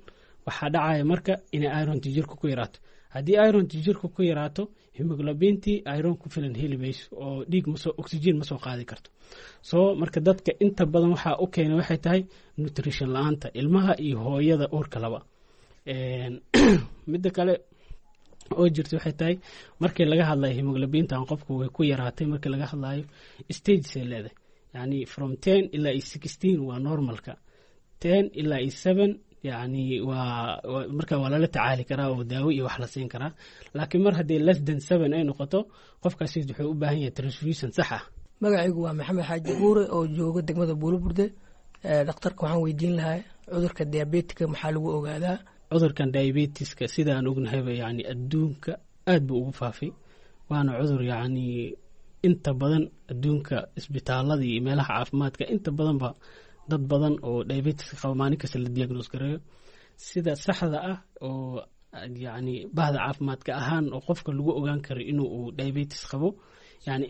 waxaa dhacaya marka inay ironta jirka ku yaraato. Haddii ironti jirka ku yaraato, hemoglobintii iron ku filan heli mayso oo dhiig masoo oxygen ma soo qaadi karto. So marka dadka inta badan waxaa u keenay waxay tahay nutrition la-aanta ilmaha iyo hooyada uurka laba. Midda kale oo jirta waxay tahay, markii laga hadlayo hemoglobintan qofku way ku yaraatay, markii laga hadlayo stages ay leedahay, yani from ten ilaa iyo sixteen waa normalka, ten ilaa iyo seven yani waa marka waa lala tacaali karaa oo daawo iyo wax la siin karaa, laakiin mar haddii less than seven ay noqoto, qofkaasi wuxuu u baahan yahay transfusion sax ah. Magacaygu waa Maxamed Xaaji Buure oo jooga degmada Buuloburda. Dhakhtarka waxaan weydiin lahaa, cudurka diabetika maxaa lagu ogaadaa? Cudurkan diabetiska sidaan ognahayba yani adduunka aad buu ugu faafay, waana cudur yacni inta badan adduunka isbitaalada iyo meelaha caafimaadka inta badanba dad badan oo diabetiska qaba maalin kasta la diagnose gareeyo. Sida saxda ah oo yacni bahda caafimaadka ahaan oo qofka lagu ogaan karo inuu uu diabetes qabo, yani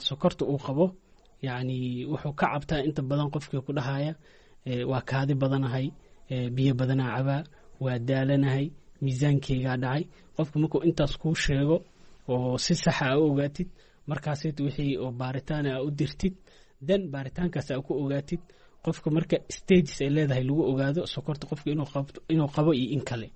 sokorta uu qabo, yacni wuxuu ka cabtaa inta badan qofkii ku dhahaya waa kaadi badanahay, biyo badanaa cabaa, waa daalanahay, miisaankeygaa dhacay. Qofka markuu intaas kuu sheego oo si saxa a u ogaatid, markaasit wixii oo baaritaan a u dirtid, dan baaritaankaas a ku ogaatid qofka marka stages ay leedahay lagu ogaado sokorta qofka inuu qabo iyo in kale.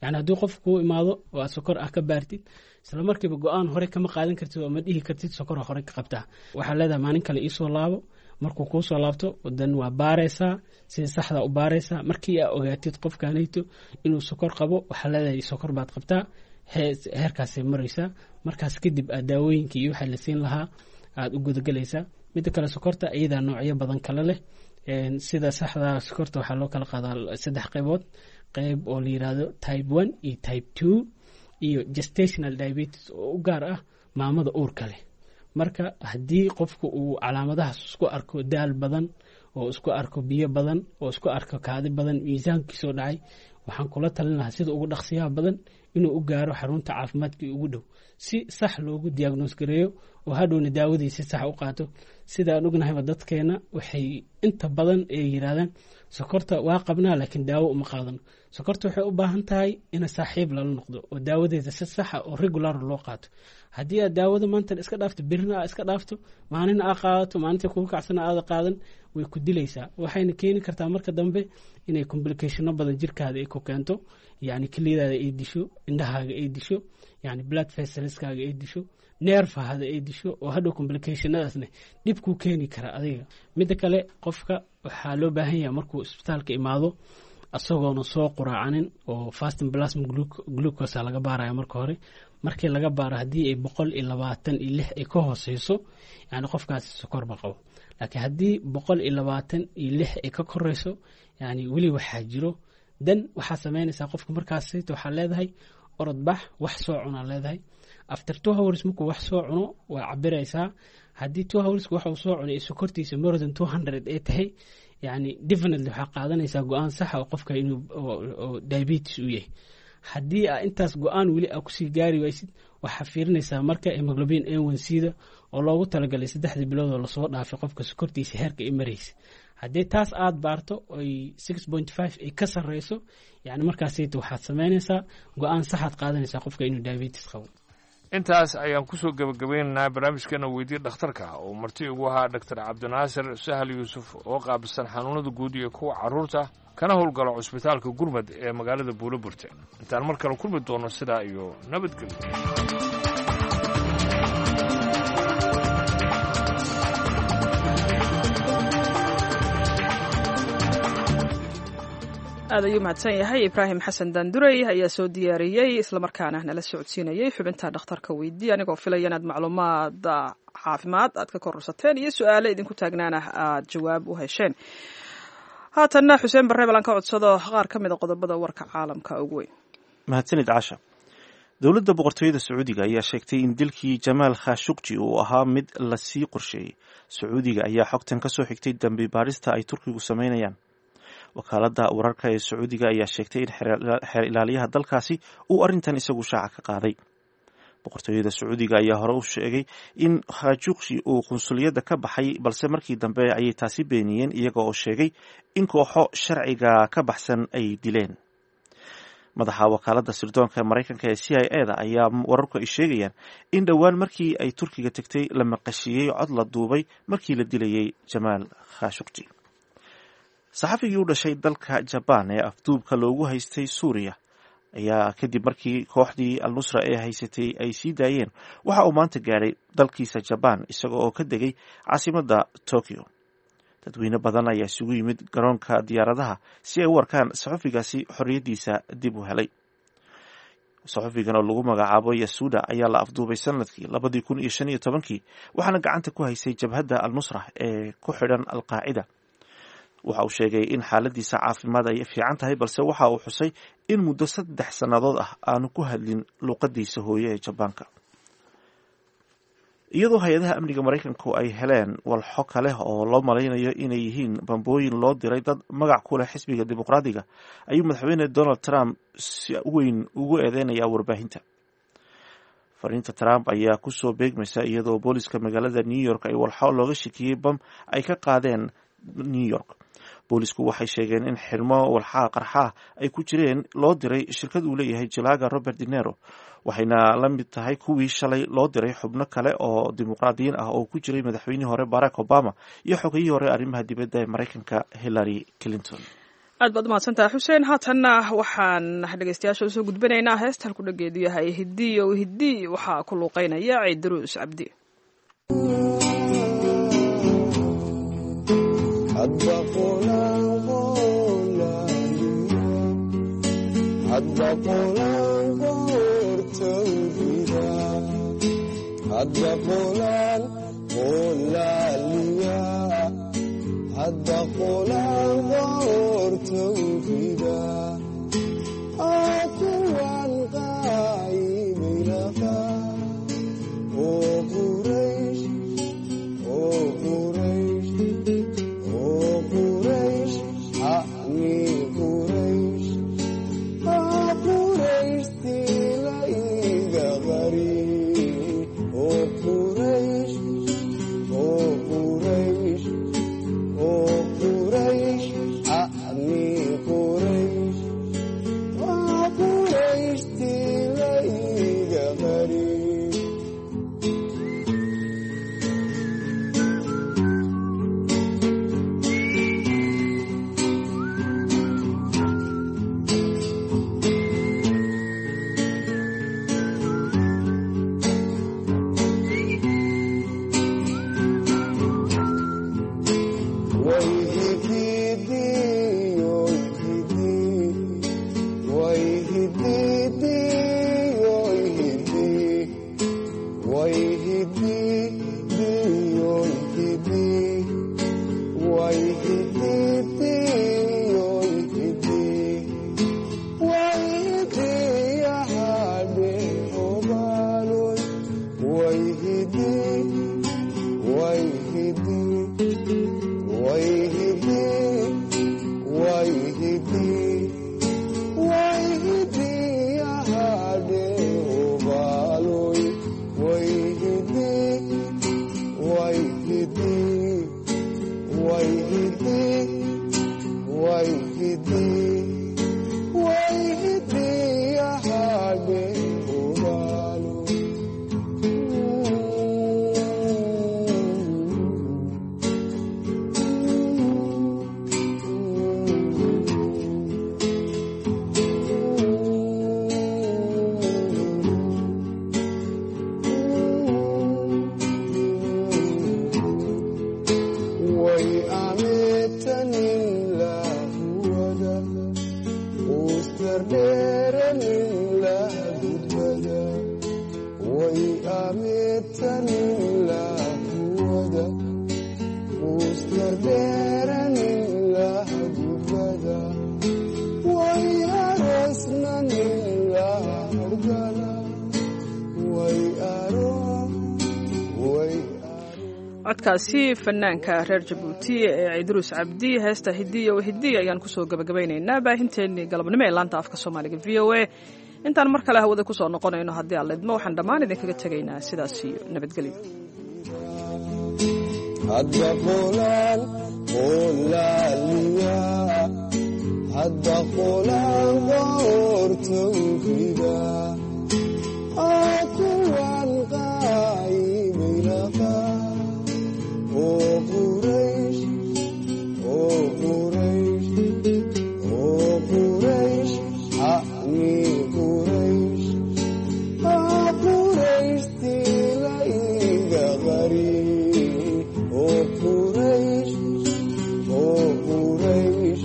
Yani haddii qof kuu imaado oo aad sokor ah ka baartid, isla markiiba go-aan hore kama qaadan kartid oo ma dhihi kartid sokora hore ka qabtaa. Waxaa leedahay maalin kale iisoo laabo. Markuu kuu soo laabto, dan waa baaraysaa, sida saxda u baaraysaa. Markii aa ogaatid qofkanayto inuu sokor qabo, waxaa leedahay sokor baad qabtaa, heerkaasay maraysaa. Markaas kadib aad daawooyinka iyo waxaa la siin lahaa aada u gudagelaysaa. Midda kale, sokorta iyadaa noocyo badan kale leh. Sida saxda sokorta waxaa loo kala qaadaa saddex qaybood: qayb oo la yiraahdo type one iyo type two iyo gestational diabetes oo u gaar ah maamada uurka leh. Marka haddii qofku uu calaamadahaas isku arko, daal badan oo isku arko, biyo badan oo isku arko, kaadi badan, miisaankiisoo dhacay, waxaan kula talin lahaa sida ugu dhaqsiyaha badan inuu u gaaro xarunta caafimaadka ugu dhow si sax loogu diagnose gareeyo oo hadhowna daawadii si sax u qaato. Sida aan ognahayba, dadkeena waxay inta badan ay yiraahdaan sokorta waa qabnaa laakiin daawo uma qaadano. Sokorta waxay u baahan tahay in saaxiib lala noqdo oo daawadeeda si saxa oo regular loo qaato. Haddii aad daawada maanta iska dhaafto, birina aa iska dhaafto, maalina aa qaadato, maalinta kugu kacsana aada qaadan, way ku dilaysaa. Waxayna keeni kartaa marka dambe inay complicationo badan jirkaada ay ku keento, yacni keliyadaada ay disho, indhahaaga ay disho, yani blood vesselskaaga ay disho, neerfahada ay disho, oo hadhow complicationadaasna dhib kuu keeni kara adiga. Midda kale, qofka waxaa loo baahan yahay markuu isbitaalka imaado asagoona soo quraacanin oo fasting plasma glucose laga baaraya marka hore. Markii laga baaro, haddii ay boqol iyo labaatan iyo lix ay ka hooseyso, yani qofkaasi sokor ma qabo. Laakiin haddii boqol iyo labaatan iyo lix ay ka koreyso, yani weli waxaa jiro. Dan waxaa sameynaysaa qofka markaas waxaa leedahay orod bax, wax soo cunaa leedahay. After two hours markuu wax soo cuno waa cabiraysaa. Haddii two hours waxa uu soo cunay ee sokortiisa more than two hundred ay tahay, yani definitely waxaa qaadanaysaa go-aan saxa oo qofka inuu diabetes uu yahay. Haddii aa intaas go-aan weli aa kusii gaari waysid, waxaa fiirinaysaa marka hemoglobin A one C da oo loogu talagalay saddexdii bilood oo lasoo dhaafay qofka sokortiisa heerka ay maraysa. Haddii taas aad baarto oy six point five ay ka sarreyso, yani markaasayta waxaad sameynaysaa go-aan saxaad qaadanaysaa qofka inuu diabetes qabo. Intaas ayaan kusoo gebagabeynaynaa barnaamijkeena Weydii Dhakhtarka oo marti ugu ahaa Doctor Cabdinaasir Sahal Yuusuf oo qaabilsan xanuunada guud iyo kuwa carruurta, kana howlgalo cusbitaalka Gurmad ee magaalada Buuloburte. Intaan mar kale kulmi doono, sidaa iyo nabadgelyo. Aad ayuu mahadsan yahay Ibraahim Xasan Daandurey ayaa soo diyaariyey islamarkaana nala socodsiinayey xubinta Dhakhtarka Weydii, anigoo filaya inaad macluumaad caafimaad aad ka kororsateen iyo su-aale idinku taagnaana aad jawaab u hesheen. Haatanna Xuseen Barre balan ka codsado qaar ka mid a qodobada warka caalamka ugu weyn. Mahadsanid Casha. Dowladda Boqortooyada Sacuudiga ayaa sheegtay in dilkii Jamaal Khashuqji uu ahaa mid lasii qorsheeyey. Sacuudiga ayaa xogtan kasoo xigtay dambi baarista ay Turkigu sameynayaan. Wakaaladda wararka ee Sacuudiga ayaa sheegtay in xeer ilaaliyaha dalkaasi uu arrintan isagu shaaca ka qaaday. Boqortooyada Sacuudiga ayaa hore u sheegay in Khashuqji uu qunsuliyadda ka baxay, balse markii dambe ayay taasi beeniyeen, iyaga oo sheegay in kooxo sharciga ka baxsan ay dileen. Madaxa wakaaladda sirdoonka Maraykanka ee C I A da ayaa wararku ay sheegayaan in dhowaan markii ay Turkiga tagtay la maqashiiyey cod la duubay markii la dilayay Jamaal Khashuqji. Saxafigii u dhashay dalka Jabaan ee afduubka loogu haystay Suuriya ayaa kadib markii kooxdii Al-Nusra ee haysatay ay sii daayeen waxa uu maanta gaadhay dalkiisa Jabaan isaga oo ka degay caasimadda Tokyo. Dadweyne badan ayaa isugu yimid garoonka diyaaradaha si ay u arkaan saxufigaasi xorriyaddiisa dib u helay. Saxufigan oo lagu magacaabo Yasuda ayaa la afduubay sanadkii labadii kun iyo shan iyo tobankii, waxaana gacanta ku haysay jabhadda Al-Nusra ee ku xidhan Al-Qaacida. Waxa uu sheegay in xaaladiisa caafimaad ay fiican tahay, balse waxa uu xusay in muddo saddex sannadood ah aanu ku hadlin luuqadiisa hooye ee Jabaanka. Iyadoo hay-adaha amniga Maraykanku ay heleen walxo kale oo loo malaynayo inay yihiin bambooyin loo diray dad magac ku leh xisbiga Dimuqraadiga, ayuu madaxweyne Donald Trump si weyn ugu eedeynayaa warbaahinta. Fariinta Trump ayaa kusoo beegmaysa iyadoo booliska magaalada New York ay walxo looga shakiyey bam ay ka qaadeen New York. Boolisku waxay sheegeen in xirmo walxaha qarxaah ay ku jireen loo diray shirkad uu leeyahay jilaaga Robert Dinero, waxayna la mid tahay kuwii shalay loo diray xubno kale oo dimuqraadiyiin ah oo ku jiray madaxweynihii hore Barack Obama iyo xogayihii hore arrimaha dibadda ee Maraykanka Hillary Clinton. Aad baad umahadsantaha Xuseen. Haatanna waxaan dhegeystayaasha usoo gudbinaynaa heesta halku dhageedu yahay Hidiyo Hidi, waxaa ku luuqeynaya Ciidaruus Cabdi. Codkaasi fanaanka reer Jabuuti ee Ciidruus Cabdi, heesta Hidiyo Hidiy ayaan kusoo gabagabaynaynaa baahinteennii galabnimo ee laanta afka Soomaaliga V O A. Intaan mar kale hawada kusoo noqonayno haddii aan lidmo, waxaan dhammaan idinkaga tegaynaa sidaas iyo nabadgelyo. Hadda qolaan qoortowrida. Tawxiida oo kuwan qaayibay lahaa oo Quraysh, oo Quraysh, oo Quraysh, acni Quraysh, aa Qurayshtii la iga qari oo Quraysh, oo Quraysh,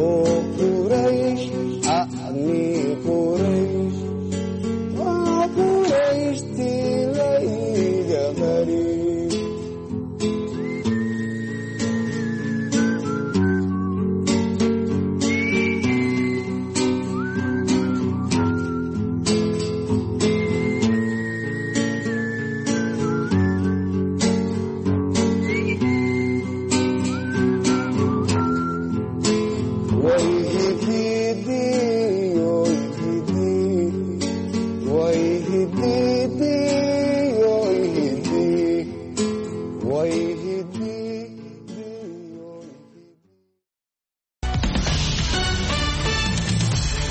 oo Quraysh, acni.